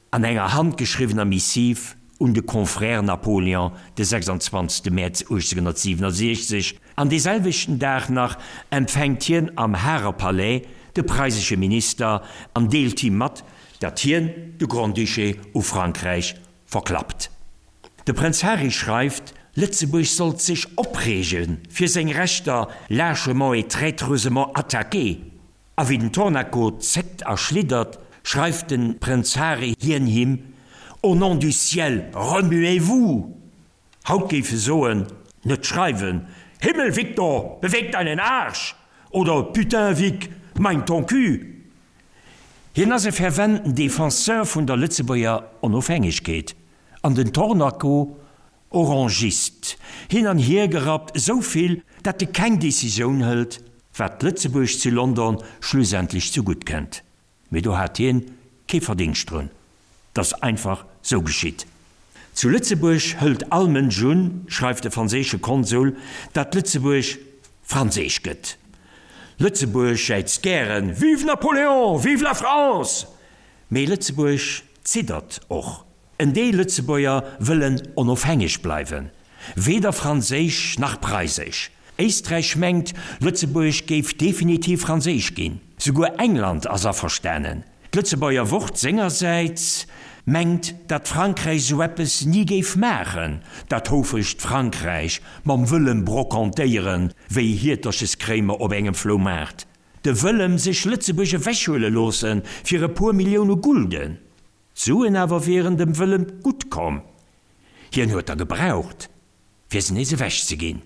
An enger handgeschriwwener Missiv un de Confrère Napoléon de 26 Mäerz 1867, an dee selwechten Dag nach empfänkt hien am Hager Palais de preisesche Minister an deelt him mat, datt hien de Grand-Duché u Frankräich verklappt. De Prënz Hari schreift, Lëtzebuerg sollt sech opreege fir seng Rechter lâchement et traîtreusement attaquées. A wéi den Tornaco zéckt a schliddert, schreift de Prënz Hari hien him, Au nom du ciel, remuez-vous! Haut géif e soen, net schreiwen, Himmel, Victor, beweg deinen Arsch! oder Putain, Vic, mein ton cul! Hien ass e ferventen Defenseur vun der Lëtzebuerger Onofhängegkeet an den Tornaco Orangist, hin an hier gerappt, esou vill, dat e keng Decisioun hëlt, wat Lëtzebuerg zu London schlussendlech zu gutt kënnt. Mee do hat hien kee Verdingscht drun, 't ass einfach sou geschitt. Zu Lëtzebuerg hëlt all Mënsch un, schreift de franséische Konsul, dat Lëtzebuerg franséisch gëtt. Lëtzebuerg jäizt gären, Vive Napoléon! Vive la France! Mee Lëtzebuerg ziddert och. En Deel Lëtzebuerger wëllen onofhängeg bleiwen, weder franséisch nach preisesch. Éisträich mengt, Lëtzebuerg géif definitiv franséisch ginn. Souguer England ass averstanen. D'Lëtzebuerger Wort sengersäits mengt, datt Frankräich sou eppes ni géif maachen, dat houfregt Frankräich mam Wëllem brocantéieren wéi Hiertercheskréimer op engem Floumaart. De Wëllem sech Lëtzebuerg ewechhuele loosse fir e puer Millioune Gulden. D'Suen awer wieren dem Wëllem gutt komm, hien huet der gebraucht, fir se nees ewech ze ginn.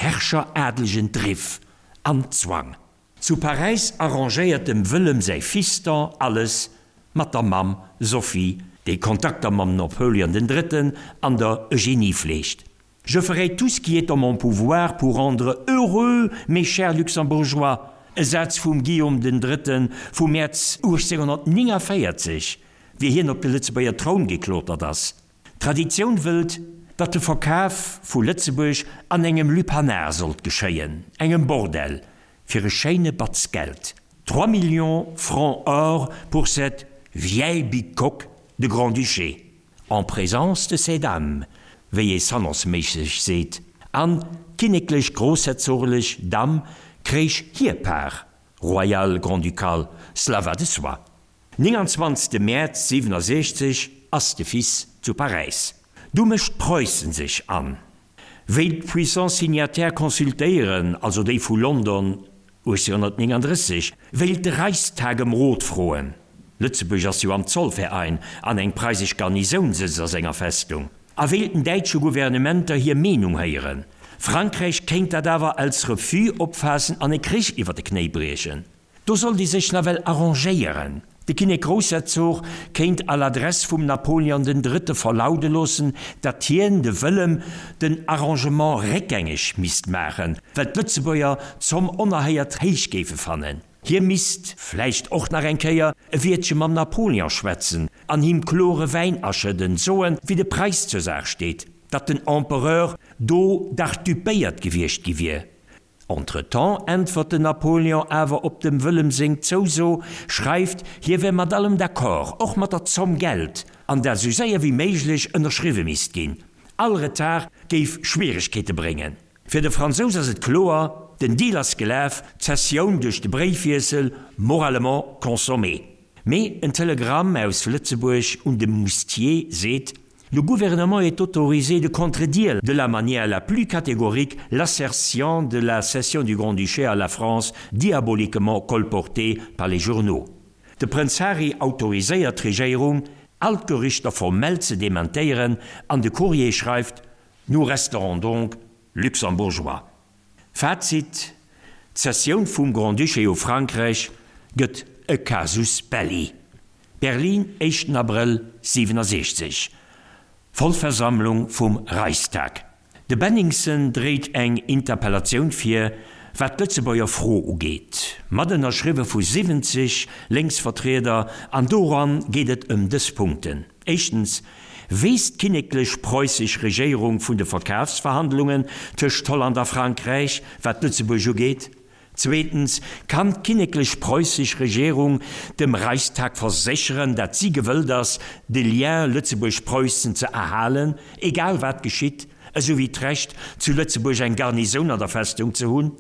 Herrscher, adelegen Driff an Zwang. Zu Paräis arrangéiert dem Wëllem säi Fiston alles mat der Mamm Sophie, déi Kontakter mam Napoleon den Drëtten an der Eugénie fleegt. Je ferai tout ce qui est en mon pouvoir pour rendre heureux mes chers Luxembourgeois, e Saz vum Guillaume den Drëtten vum Mäerz 1849, wéi hien op de Lëtzebuerger Troun geklotert ass. D'Traditioun wëllt, datt de Verkaf vu Lëtzebuerg an engem Lupanar sollt geschéien, engem Bordell, fir e schéine Batz Geld, Trois millions francs or pour cette vieille bicoque de Grand-Duché. En présence de ces dames, wéi ee salonsméisseg seet, an d'kinneklech grossherzorlech Damm kréich hir Part royale grand-ducale, cela va de soi. 29 Mäerz 67 ass de Fils zu Paräis. Du mécht Preussen sech an. Wéi d'Puissances signataires consultéieren, also déi vu London 1839, wéilt de Reichstag ëm Rot froen. Lëtzebuerg ass jo am Zollverein an eng preisesch Garnisoun sëtzt a senger Festung. A wéilten däitsche Gouvernementer hir Meenung héieren. Frankräich kéint dat awer als Refus opfaassen an e Krich iwwer de Knéi briechen. Do sollt ee sech nawell arrangéieren. De Kinnek-Groussherzog kéint à l'adresse vum Napoleon den Drëtte verlaude loossen, datt hien, de Wëllem, den Arrangement réckgängeg misst maachen, well d'Lëtzebuerger d'Zomm onerhéiert héich géife fannen. Hie misst vläicht och nach eng Kéier e Wiertche mam Napoleon schwätzen an him klore Wäin aschëdden, soen, wéi de Preis zur Saach steet. datt den Empereur do dach dupéiert gewiescht gi wier. Entretemps äntwert den Napoléon awer op dem Wëllem seng Zouso, schreift, hie wär mat allem d'accord, och mat der Zomm Geld, an dat esou séier wéi méiglech ënnerschriwwe misst ginn. All Retard géif Schwieregkeete bréngen. Fir de Fransous ass et kloer, den Deal ass gelaf, d'Cessioun duerch de Bréifwiessel moralement consommée. Mee en Telegramm aus Lëtzebuerg un de Moustier seet, Le gouvernement est autorisé de contredire de la manière la plus catégorique l'assertion de la cession du Grand-Duché à la France diaboliquement colportée par les journaux. De Prënz Harry autoriséiert d'Regéierung, all d'Gerüchter formell ze dementéieren an de Courrier schreift, Nous resterons donc luxembourgeois. Fazit, D'Cessioun vum Grand-Duché u Frankräich gëtt e Casus belli. Berlin, éischten Abrëll 67, Vollversammlung vum Reichstag. De Benningsen dréit eng Interpellatioun vir, wat d'Lëtzebuerger Fro ugeet, mat ënnerschriwwe vu 70 Lénksvertrieder, an doran geet et ëm dës Punkten, Éischtens, weess d'kinneklech preusseg Regéierung vun de Verkafsverhandlungen tëscht Holland a Frankräich, wat Lëtzebuerg ugeet? Zweetens, kann d'kinneklech preusseg Regierung dem Reichstag versécheren, dat si gewëllt ass, de Lien Lëtzebuerg-Preussen ze erhalen, egal wat geschitt, esou wéi d'Recht, zu Lëtzebuerg eng Garnisoun an der Festung ze hunn?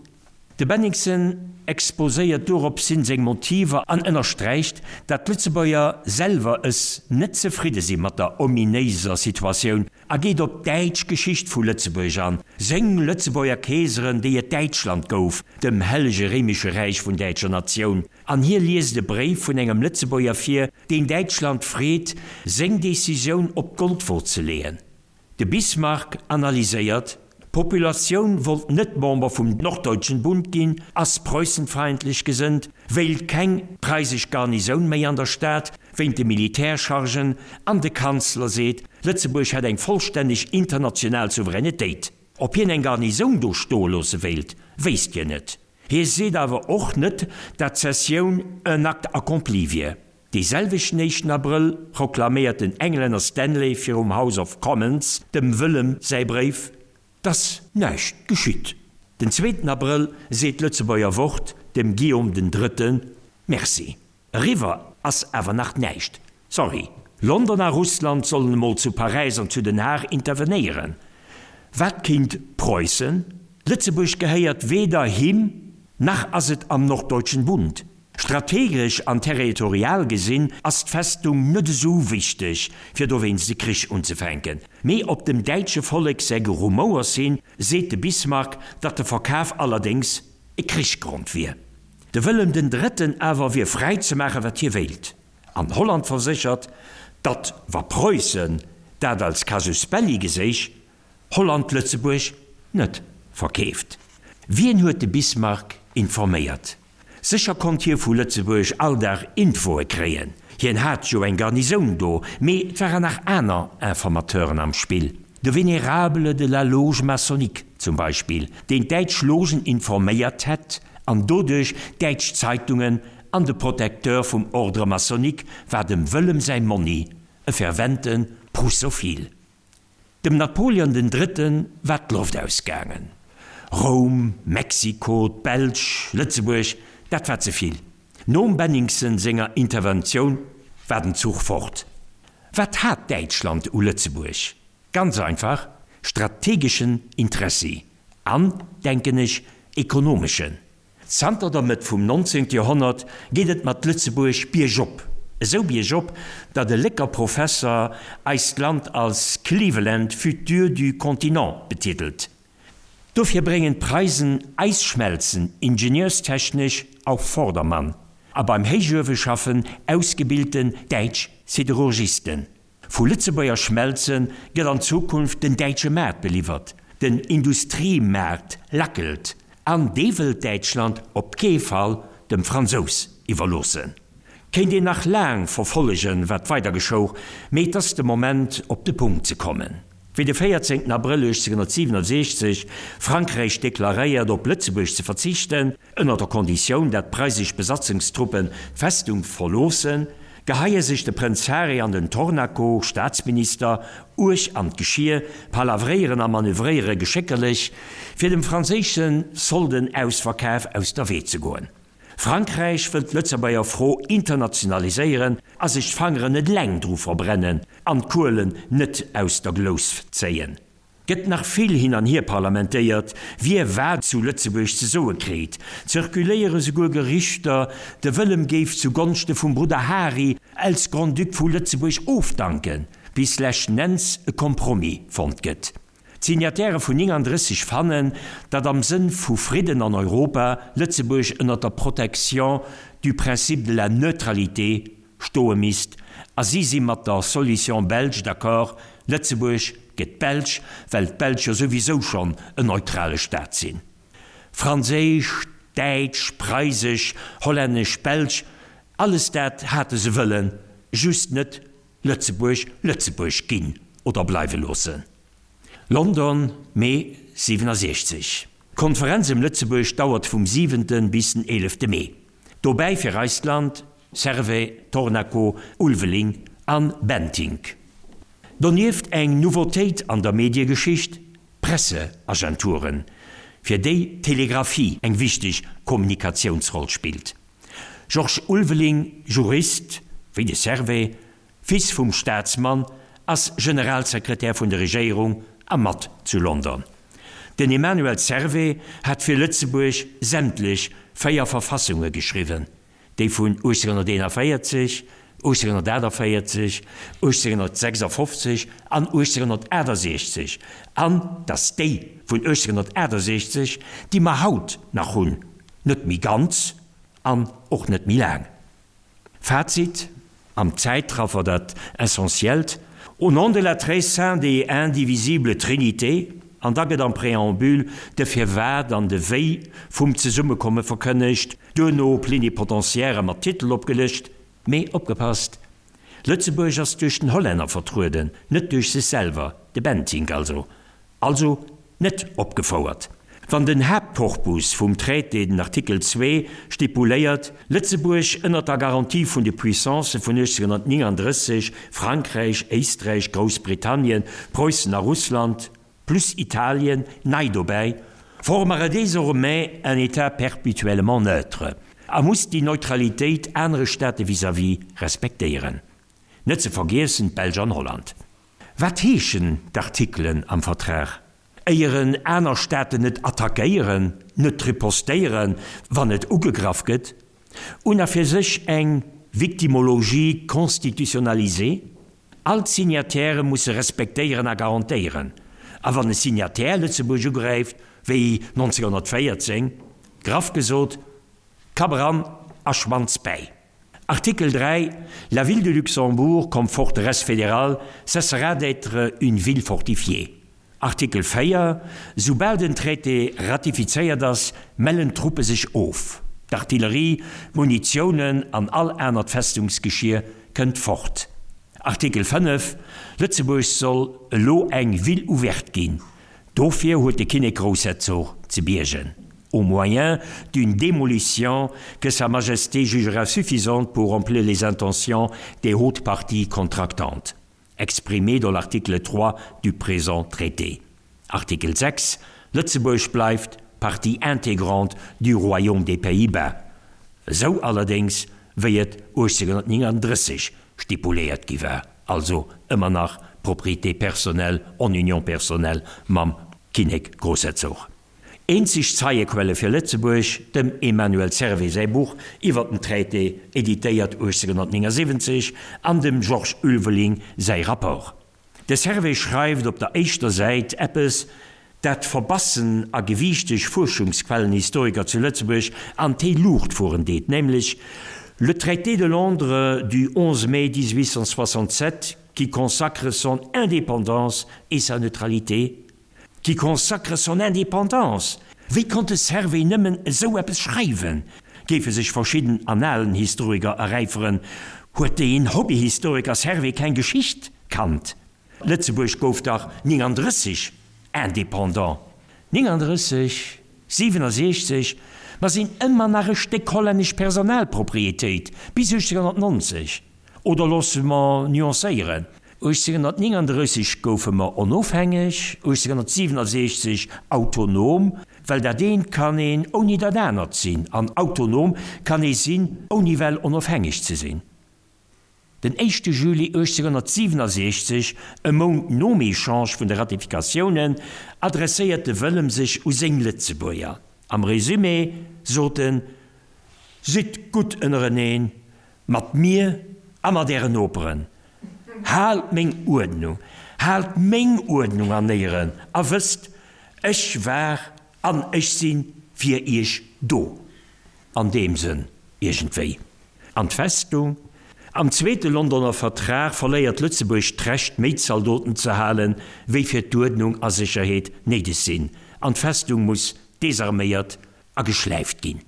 De Bennigsen exposéiert dueropshin seng Motiver an ënnersträicht, dat d'Lëtzebuerger selwer es net zefridde si mat der ominéiser Situatioun a geet op d'däitsch Geschicht vu Lëtzebuerg an, seng Lëtzebuerger Keeseren, déi et Däitschland gouf, dem Hellege Réimesche Räich vun däitscher Natioun, an hie liest e Bréif vun engem Lëtzebuerger vir, deen Däitschland freet, seng Decisioun op d'Goldwo ze leeën. De Bismarck analyséiert, D'Populatioun wollt net Member vum Norddeutschen Bund ginn, ass preußenfeindlech gesënnt, wéilt keng preisesch Garnisoun méi an der Stad, wéint de Militärchargen, an de Kanzler seet, Lëtzebuerg hätt eng vollstänneg international Souveränetéit. Ob hien eng Garnisoun do stoe loosse wéilt, wéisst hien net. Hie seet awer och net, dat d'Cessioun un acte accompli wier. Dee selwechten éischten Abrëll proklaméiert den Englänner Stanley virum House of Commons dem Wëllem säi Bréif, 't ass näischt geschitt. Den zweeten Abrëll seet d'Lëtzebuerger Wort dem Guillaume den Drëtte Merci. Eriwwer ass awer nach näischt. Sorry. London a Russland sollen emol zu Paräis an zu Den Haag intervenéieren. Wat kéint Preussen? Lëtzebuerg gehéiert weder him nach ass et am Norddeutschen Bund. Strategesch an territorial gesinn ass d'Festung net esou wichteg, fir dowéinst e Krich unzefänken. Mee op dem däitsche Vollek säi Gerumouers hin seet de Bismarck, datt de Verkaf allerdéngs e Krichgrond wier. De Wëllem den Drëtten awer wier fräi ze maache wat hie wéilt. An Holland verséchert, datt wa Preussen dat als Casus belli geséich, Holland Lëtzebuerg net verkeeft. Wien huet de Bismarck informéiert? Sécher konnt hie vu Lëtzebuerg all Dag Infoe kréien, hien hat jo eng Garnisoun do, mee et waren nach aner Informateuren am Spill, de Vénérable de la Loge maçonnique zum Beispill, deen d'däitsch Logen informéiert hätt an doduerch däitsch Zeitungen, an de Protecteur vum Ordre maçonnique war dem Wëllem säi Monni, e fervente Prussophil. Dem Napoleon den Drëtte war d'Loft ausgaangen. Roum, Mexiko, d'Belsch, Lëtzebuerg, dat war ze vill. Nom Benningsen senger Interventioun war den Zuch fort. Wat hat Däitschland u Lëtzebuerg? Ganz einfach, strategeschen Interessi an, denken ech, ekonomeschen. Zanter der Mëtt vum 19. Joerhonnert geet et mat Lëtzebuerg biergop, esou biergop, datt e Lécker Professer eist Land als Cleveland futur du continent betitelt. Dofir bréngen d'Preisen Eisschmelzen ingenieurstechnesch auf Vordermann a beim Héichueweschaffen ausgebilten däitsch Siderurgisten. Vu Lëtzebuerger Schmelze gëtt an Zukunft den däitsche Maart beliwwert. Den Industriemaart lackelt an dee wëllt Däitschland op kee Fall dem Fransous iwwerloossen. Kéint een nach laang verfollegen, wat weider geschouch, mee et ass de Moment op de Punkt ze kommen. Wéi de 14 Abrëll 1867 Frankräich deklaréiert op Lëtzebuerg ze verzichten, ënner der Konditioun dat preisesch Besatzungstruppen d'Festung verloossen, Geheie sech de Prënz Harry an den Tornaco, Staatsminister, uerg an d'Geschier, palavréieren a manövréiere geschéckerlech, fir dem franséische Soldenausverkaf aus der Wee ze goen. Frankräich wëll d'Lëtzebuerger Fro internationaliséieren a sech d'Fangeren net eleng dru verbrennen an d'Kuelen net aus der Glous zéien. Gëtt nach vill hin an hier parlamentéiert, wie wat zu Lëtzebuerg ze soe kritt. Zirkuléiere souguer Gerüchter, de Wëllem géif zu Gonschte vum Brudder Hari als Grand-Duc vu Lëtzebuerg ofdanken, bis leschten Enns e Compromis fonnt gëtt. D'Signataire vun 39 fannen, datt am Sënn vu Fridden an Europa Lëtzebuerg ënner der Protection du principe de la neutralité stoe misst a si si mat der Solution belge d'accord, Lëtzebuerg gëtt belsch, well d'Belsch jo souwisou schonn en neutrale Staat sinn. Franséisch, däitsch, preisesch, hollännesch, belsch, alles dat hate se wëllen, just net Lëtzebuerg Lëtzebuerg ginn oder bleiwe loossen. London, Mee 67. D'Konferenz ëm Lëtzebuerg dauert vum siwente bis den eelefte Mee. Dobäi fir eist Land Servais, Tornaco, Ulveling an Bentinck. Donieft eng Nouveautéit an der Mediegeschicht, Presseagenturen, fir déi d'Telegraphie eng wichteg Kommunikatiounsroll spillt. Georges Ulveling, Jurist, wéi de Servais, Fils vum Staatsmann, ass Generalsekretär vun der Regéierung a mat zu London. Den Emmanuel Servais hat fir Lëtzebuerg sämtlech 4 Verfassunge geschriwwen, déi vun 1841, 1848, 1856 an 1868, an dass déi vun 1868, déi mer haut nach hunn, net méi ganz an och net méi laang. Fazit, Am Zäitraffer dat Essentiellt, Au nom de la très sainte et indivisible Trinité, an da gëtt am Préambule de Firwat an de Wéi vum Zesummekomme verkënnegt, duerno Plénipotentiairë mat Titel opgelëscht. Mee opgepasst, Lëtzebuerg ass duerch den Hollänner vertrueden, net duerch sech selwer, de Bentinck also. Also net opgefouert. Wann den Haaptkorpus vum Traité, den Artikel 2, stipuléiert, Lëtzebuerg ënnert der Garantie vun de Puissancë vun 1839, Frankräich, Éisträich, Groussbritannien, Preussen a Russland, plus Italien nei dobäi, formere désormais un État perpétuellement neutre a muss déi Neutralitéit anere Staate vis-à-vis respektéieren. Net ze vergiessen d'Belsch an Holland. Wat heeschen d'Artikelen am Vertrag? Éieren aner Staaten net attackéieren, net ripostéieren, wann et ugegraff gëtt? Un a fir sech eng Victimologie constitutionnalisée? All d'Signatairë musse respektéieren a garantéieren. A wann e Signataire Lëtzebuerg ugräift, wéi 1914, graff gesot, Kapp eran a Schwanz bäi. Artikel 3, La ville de Luxembourg comme forteresse fédérale cessera d'être une ville fortifiée. Artikel 4, Soubal den Traité ratifizéiert ass, mellen d'Truppe sech of. D'Artillerie, d'Munitiounen an all anert Festungsgeschier kënnt fort. Artikel 5, Lëtzebuerg soll elo eng Ville ouverte ginn. Dofir huet de Kinnek-Groussherzog ze biergen. Au moyen d'une démolition que Sa Majesté jugera suffisante pour remplir les intentions des hautes parties contractantes, exprimées dans l'article 3 du présent traité. Artikel 6, Lëtzebuerg bleift partie intégrante du Royaume des Pays-Bas, esou allerdéngs wéi et 1839 stipuléiert gi war, also ëmmer nach propriété personnelle en union personnelle mam Kinnek-Groussherzog. Eenzeg Zeiequelle fir Lëtzebuerg, dem Emmanuel Servais säi Buch iwwer den Traité, editéiert 1879, an dem Georges Ulveling säi Rapport. De Servais schreift op der éischter Säit eppes, dat verbassen a gewiichteg Fuerschungsquellenhistoriker zu Lëtzebuerg an d'héi Luucht fueren deet, nämlech, Le traité de Londres du 11 mai 1867 qui consacre son indépendance et sa neutralité, Qui consacre son indépendance. Wéi konnt de Servais nëmmen esou eppes schreiwen? Géife sech verschidden Analenhistoriker eräiferen, huet deen Hobbyhistoriker Servais keng Geschicht kannt? Lëtzebuerg gouf dach 39 indépendant. 39, 67, mer sinn ëmmer nach e Stéck hollännesch Personalpropriétéit, bis 1890. Oder loosse mer nuancéieren, 1839 goufe mer onofhängeg, 1867 autonom, well dat eent kann een ouni dat anert sinn, an autonom kann ee sinn, ouni well onofhängeg ze sinn. Den éischte Juli 1867, e Mount nom Echange vun de Ratifikatiounen, adresséiert de Wëllem sech u seng Lëtzebuerger. Am Resumé sot en, Sidd gutt ënnereneen, mat mir a mat ären Noperen. Haalt meng Uerdnung, haalt meng Uerdnung an Éieren a wësst, ech war an ech si fir iech do. An deem Sënn iergendwéi. An d'Festung? Am zweete Londoner Vertrag verléiert Lëtzebuerg d'Recht méi Zaldoten ze halen, wéi fir d'Uerdnung a Sécherheet néideg sinn, an d'Festung muss desarméiert a geschläift ginn.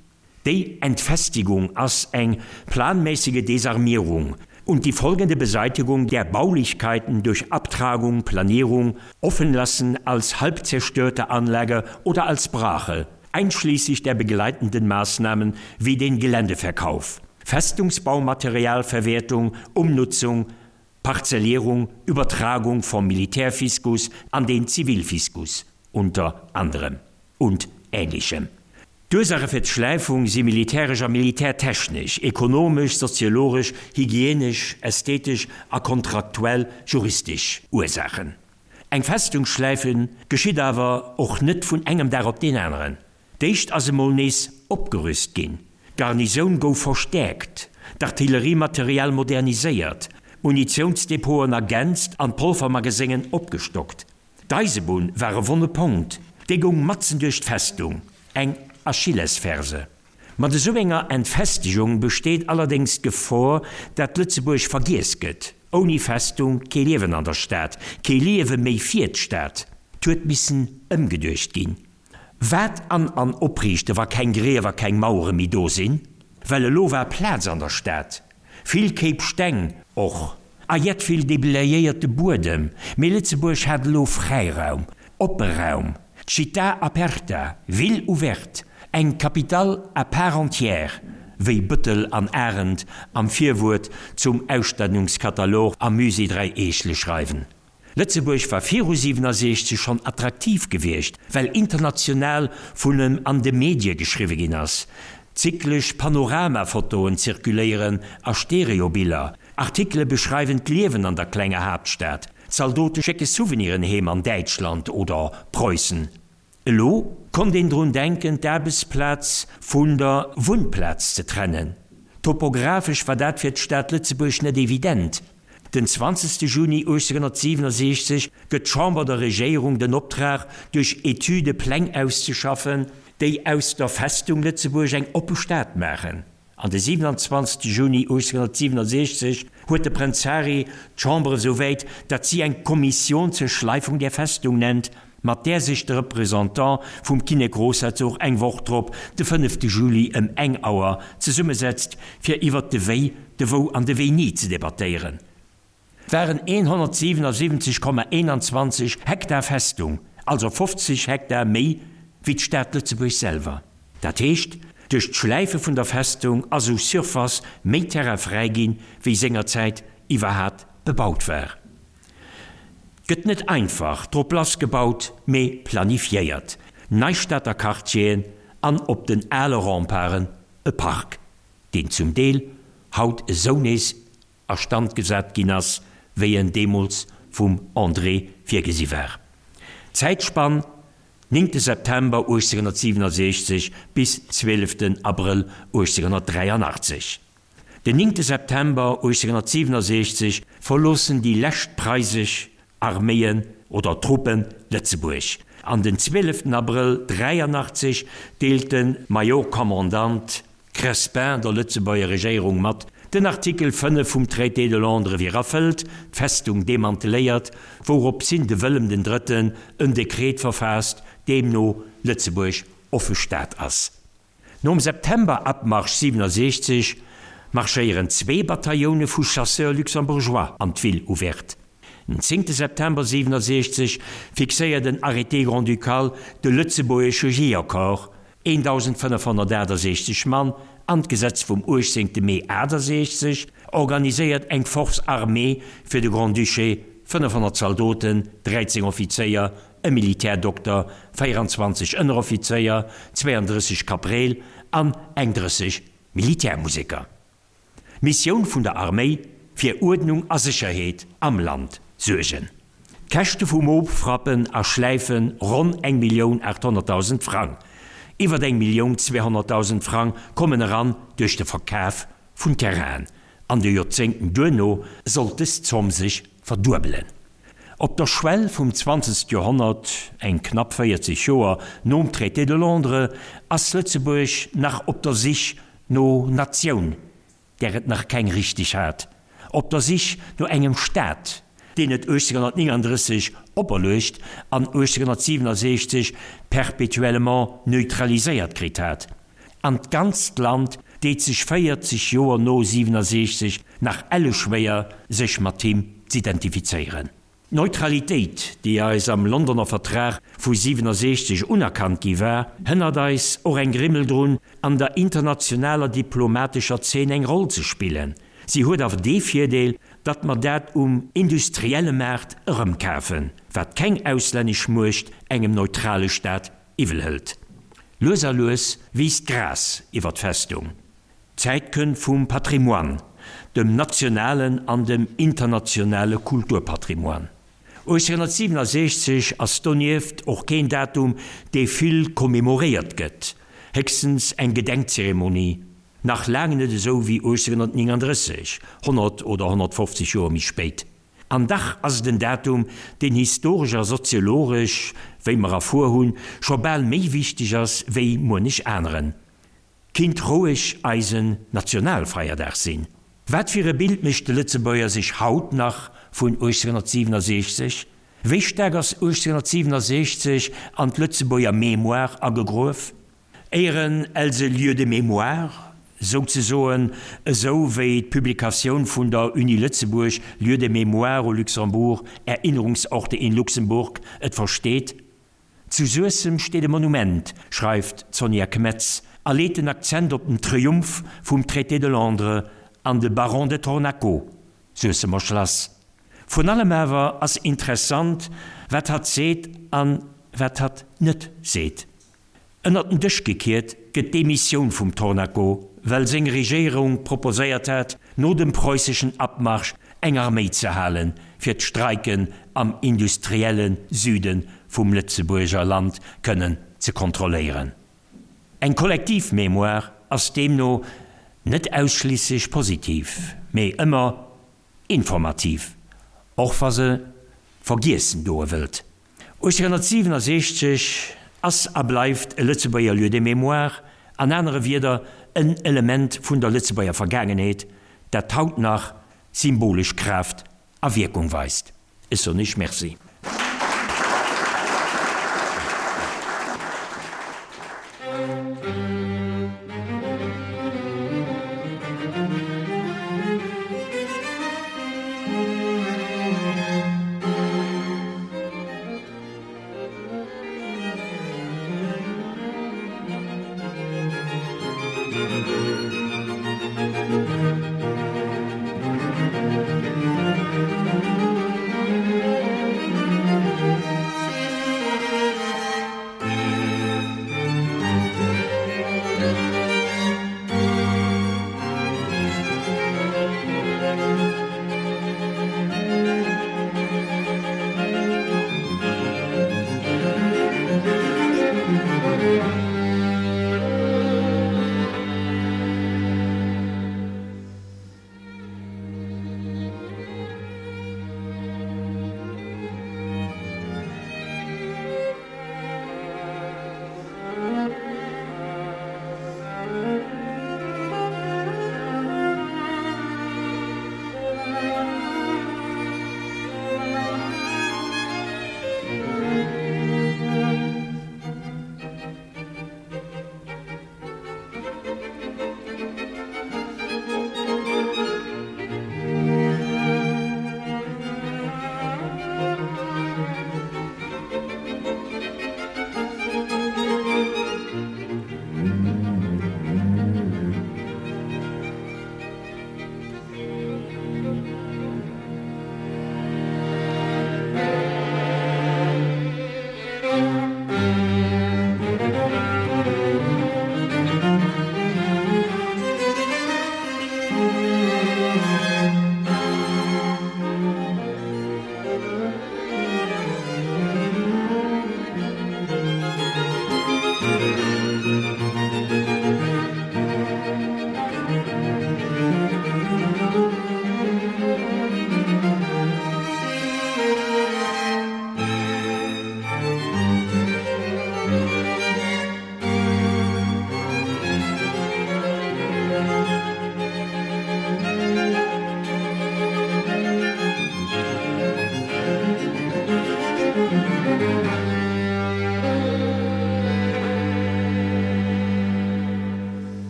Déi Entfestigung ass eng planmäßige Desarmierung und die folgende Beseitigung der Baulichkeiten durch Abtragung, Planierung, Offenlassen als halbzerstörte Anlage oder als Brache, einschließlich der begleitenden Maßnahmen wie den Geländeverkauf, Festungsbaumaterialverwertung, Umnutzung, Parzellierung, Übertragung vom Militärfiskus an den Zivilfiskus unter anderem und Ähnlichem. D'Ursaache fir d'Schläifung si militäresch a militärtechnesch, ekonomesch, soziologesch, hygienesch, ästhetesch a kontraktuell juristesch Ursaachen. Eng Festung schläife geschitt awer och net vun engem Dag op deen aneren. D'éischt ass emol nees opgerüst ginn, d'Garnisoun gouf verstäerkt, d'Artilleriematerial moderniséiert, d'Munitiounsdepoten ergänzt an d'Polvermageséngen opgestockt. D'Eisebunn war e wonne Ponkt, déi goung matzen duerch d'Festung, eng Achillesferse. Mat esou enger Entfestegung besteet allerdéngs d'Gefor, dat Lëtzebuerg vergiess gëtt. Ouni Festung kee Liewen an der Stad, kee Liewe méi fir d'Stad. 't huet missen ëmgeduecht ginn. Wat an an opriichte wa keng Griew a keng Mauere méi do sinn? Well elo war Plaz an der Stad. Vill Kéip Steng och, a jett vill deblayéierte Buedem, mee Lëtzebuerg hat elo Fräiraum, oppe Raum, Città aperta, ville ouverte, eng Capitale à part entière, wéi Bëttel an Arendt am Virwuert zum Ausstellungskatalog am Musée Dräi Eechele schreiwen. Lëtzebuerg war viru 67 schonn attraktiv gewiescht, well international vun em an de Medie geschriwwe ginn ass. Zyklesch Panoramafotoen zirkuléieren a Stereobiller, Artikele beschreiwen d'Liewen an der klenger Haaptstad, Zaldote schécke Souveniren heem an Däitschland oder Preussen. Elo konnt een drun denken, d'Aarbechtsplaz vun der Wunnplaz ze trennen. Topographesch war dat fir d'Stad Lëtzebuerg net evident. Den 20 Juni 1867 gëtt d'Chamber der Regéierung den Optrag, duerch Etüde Pläng auszeschaffen, déi aus der Festung Lëtzebuerg eng oppe Stad maachen. An de 27 Juni 1867 huet de Prënz Harry d'Chamber esou wäit, datt si eng Kommission zur Schleifung der Festung nennt, mat där sech de Représentant vum Kinnek-Großherzog eng Woch drop, de 5 Juli ëm eng Auer, zesummesetzt, fir iwwert de Wéi, de Wou an de Wéini ze debattéieren. Waren 177,21 Hektar Festung, also 50 Hektar méi wéi d'Stad Lëtzebuerg selwer. Dat heescht, duerch d'Schläife vun der Festung ass u Surface méi Terrain fräi ginn, wéi sengerzäit iwwerhat bebaut war. Gëtt net einfach drop lass gebaut, mee planifiéiert. Nei Stater Quartieren an op den ale Remparten e Park, deen zum Deel haut esou nees a Stand gesat ginn ass, wéi en deemools vum André virgesi war. Zäitspann, néngte September 1867 bis zwieleften Abrëll 1883. Den néngte September 1867 verloossen déi lescht preisesch Arméien oder Truppen Lëtzebuerg, an den zwieleften Abrëll 83 deelt de Major-Commandant Crespin der Lëtzebuerger Regéierung mat, den Artikel 5 vum Traité de Londres wier erfëllt, d'Festung demanteléiert, wouropshin de Wëllem den Drëtten en Dekret verfaasst, deemno Lëtzebuerg offe Stad ass. Nom September-Abmarsch 67 marschéieren zwee Batailloune vu Chasseurs luxembourgeois an d'Ville ouverte. Den zéngte September 67 fixéiert en Arrêté grand-ducal de lëtzebuergesche Jeeërcorps. 1.568 Mann, an d'Gesetz vum 18 Mee 68 organiséiert eng Force armée fir de Grand-Duché, 500 Zaldoten, 13 Offizéier, e Militärdokter, 24 Ënneroffizéier, 32 Kapreel an eng 30 Militärmuseker. Missioun vun der Arméi, Fir Uerdnung a Sécherheet am Land suergen. D'Käschte vum Ofrappen a Schläife ronn 1.800.000 Frang. Iwwer 1.200.000 Frang kommen eran duerch de Verkaf vun Terrainen. An de Joerzéngten duerno sollt dës Zomm sech verduebelen. Op der Schwell vum zwanzegst Joerhonnert, eng knapp 40 Joer nom Traité de Londres, ass Lëtzebuerg nach op der Sich no Natioun, där et nach keng richteg hat, op der Sich no engem Staat, deen et 1839 operluecht an 1867 perpétuellement neutraliséiert kritt hat. An d'ganzt Land deet sech 40 Joer no 67 nach elle schwéier, sech mat him z'identifizéieren. D'Neutralitéit, déi eis am Londoner Vertrag vu 67 unerkannt gi war, hënnert eis och eng Grimmel drun, an der internationaler diplomatescher Zeen eng Roll ze spillen. Si huet awer dee Virdeel, datt mer dat um industrielle Maart erëmkafen, wat keng auslännesch Muecht engem neutrale Staat iwwel hëlt. Lues a lues wiisst d'Gras iwwer d'Festung. D'Zäit kënnt vum Patrimoine, dem nationalen an dem internationale Kulturpatrimoine. 1867 ass donieft och keen Datum, dee vill commemoréiert gëtt, héchstens eng Gedenkzeremonie, nach laang net esou wéi 1839, 100 oder 150 Joer méi spéit. An dach ass et en Datum, deen historesch a soziologesch, wéi mer erfuer hunn, scho bal méi wichteg ass wéi muenech aneren. Kinnt roueg eisen Nationalfeierdag sinn. Wat fir e Bild mécht de Lëtzebuerger sech haut nach vun 1867? Wéi staark ass 1867 an d'Lëtzebuerger Mémoire agegruef? Éieren els e Lieu de mémoire, souzesoen, esou wéi d'Publikatioun vun der Uni Lëtzebuerg Lieux de mémoire au Luxembourg, Erinnerungsorte in Luxembourg et versteet? Zu Suessem steet e Monument, schreift d'Sonja Kmetz a leet den Akzent op den Triumph vum Traité de Londres an de Baron de Tornaco, Suessemer Schlass. Vrun allem awer ass interessant, wat hatt seet an wat hatt net seet. Ënnert den Dësch gekiert gëtt d'Demissioun vum Tornaco, well seng Regéierung proposéiert hat, no dem preusseschen Abmarsch eng Arméi ze halen, fir d'Streiken am industrielle Süde vum Lëtzebuerger Land kënnen ze kontrolléieren. Eng kollektiv Mémoire ass deemno net ausschliisslech positiv, mee ëmmer informativ, och wa se vergiessen doe wëllt. 1867 ass a bleift e Lëtzebuerger Lieu de mémoire, an anere Wierder en Element vun der Lëtzebuerger Vergaangenheet, dat haut nach symbolesch Kraaft a Wierkung weist. Ech soen Iech Merci.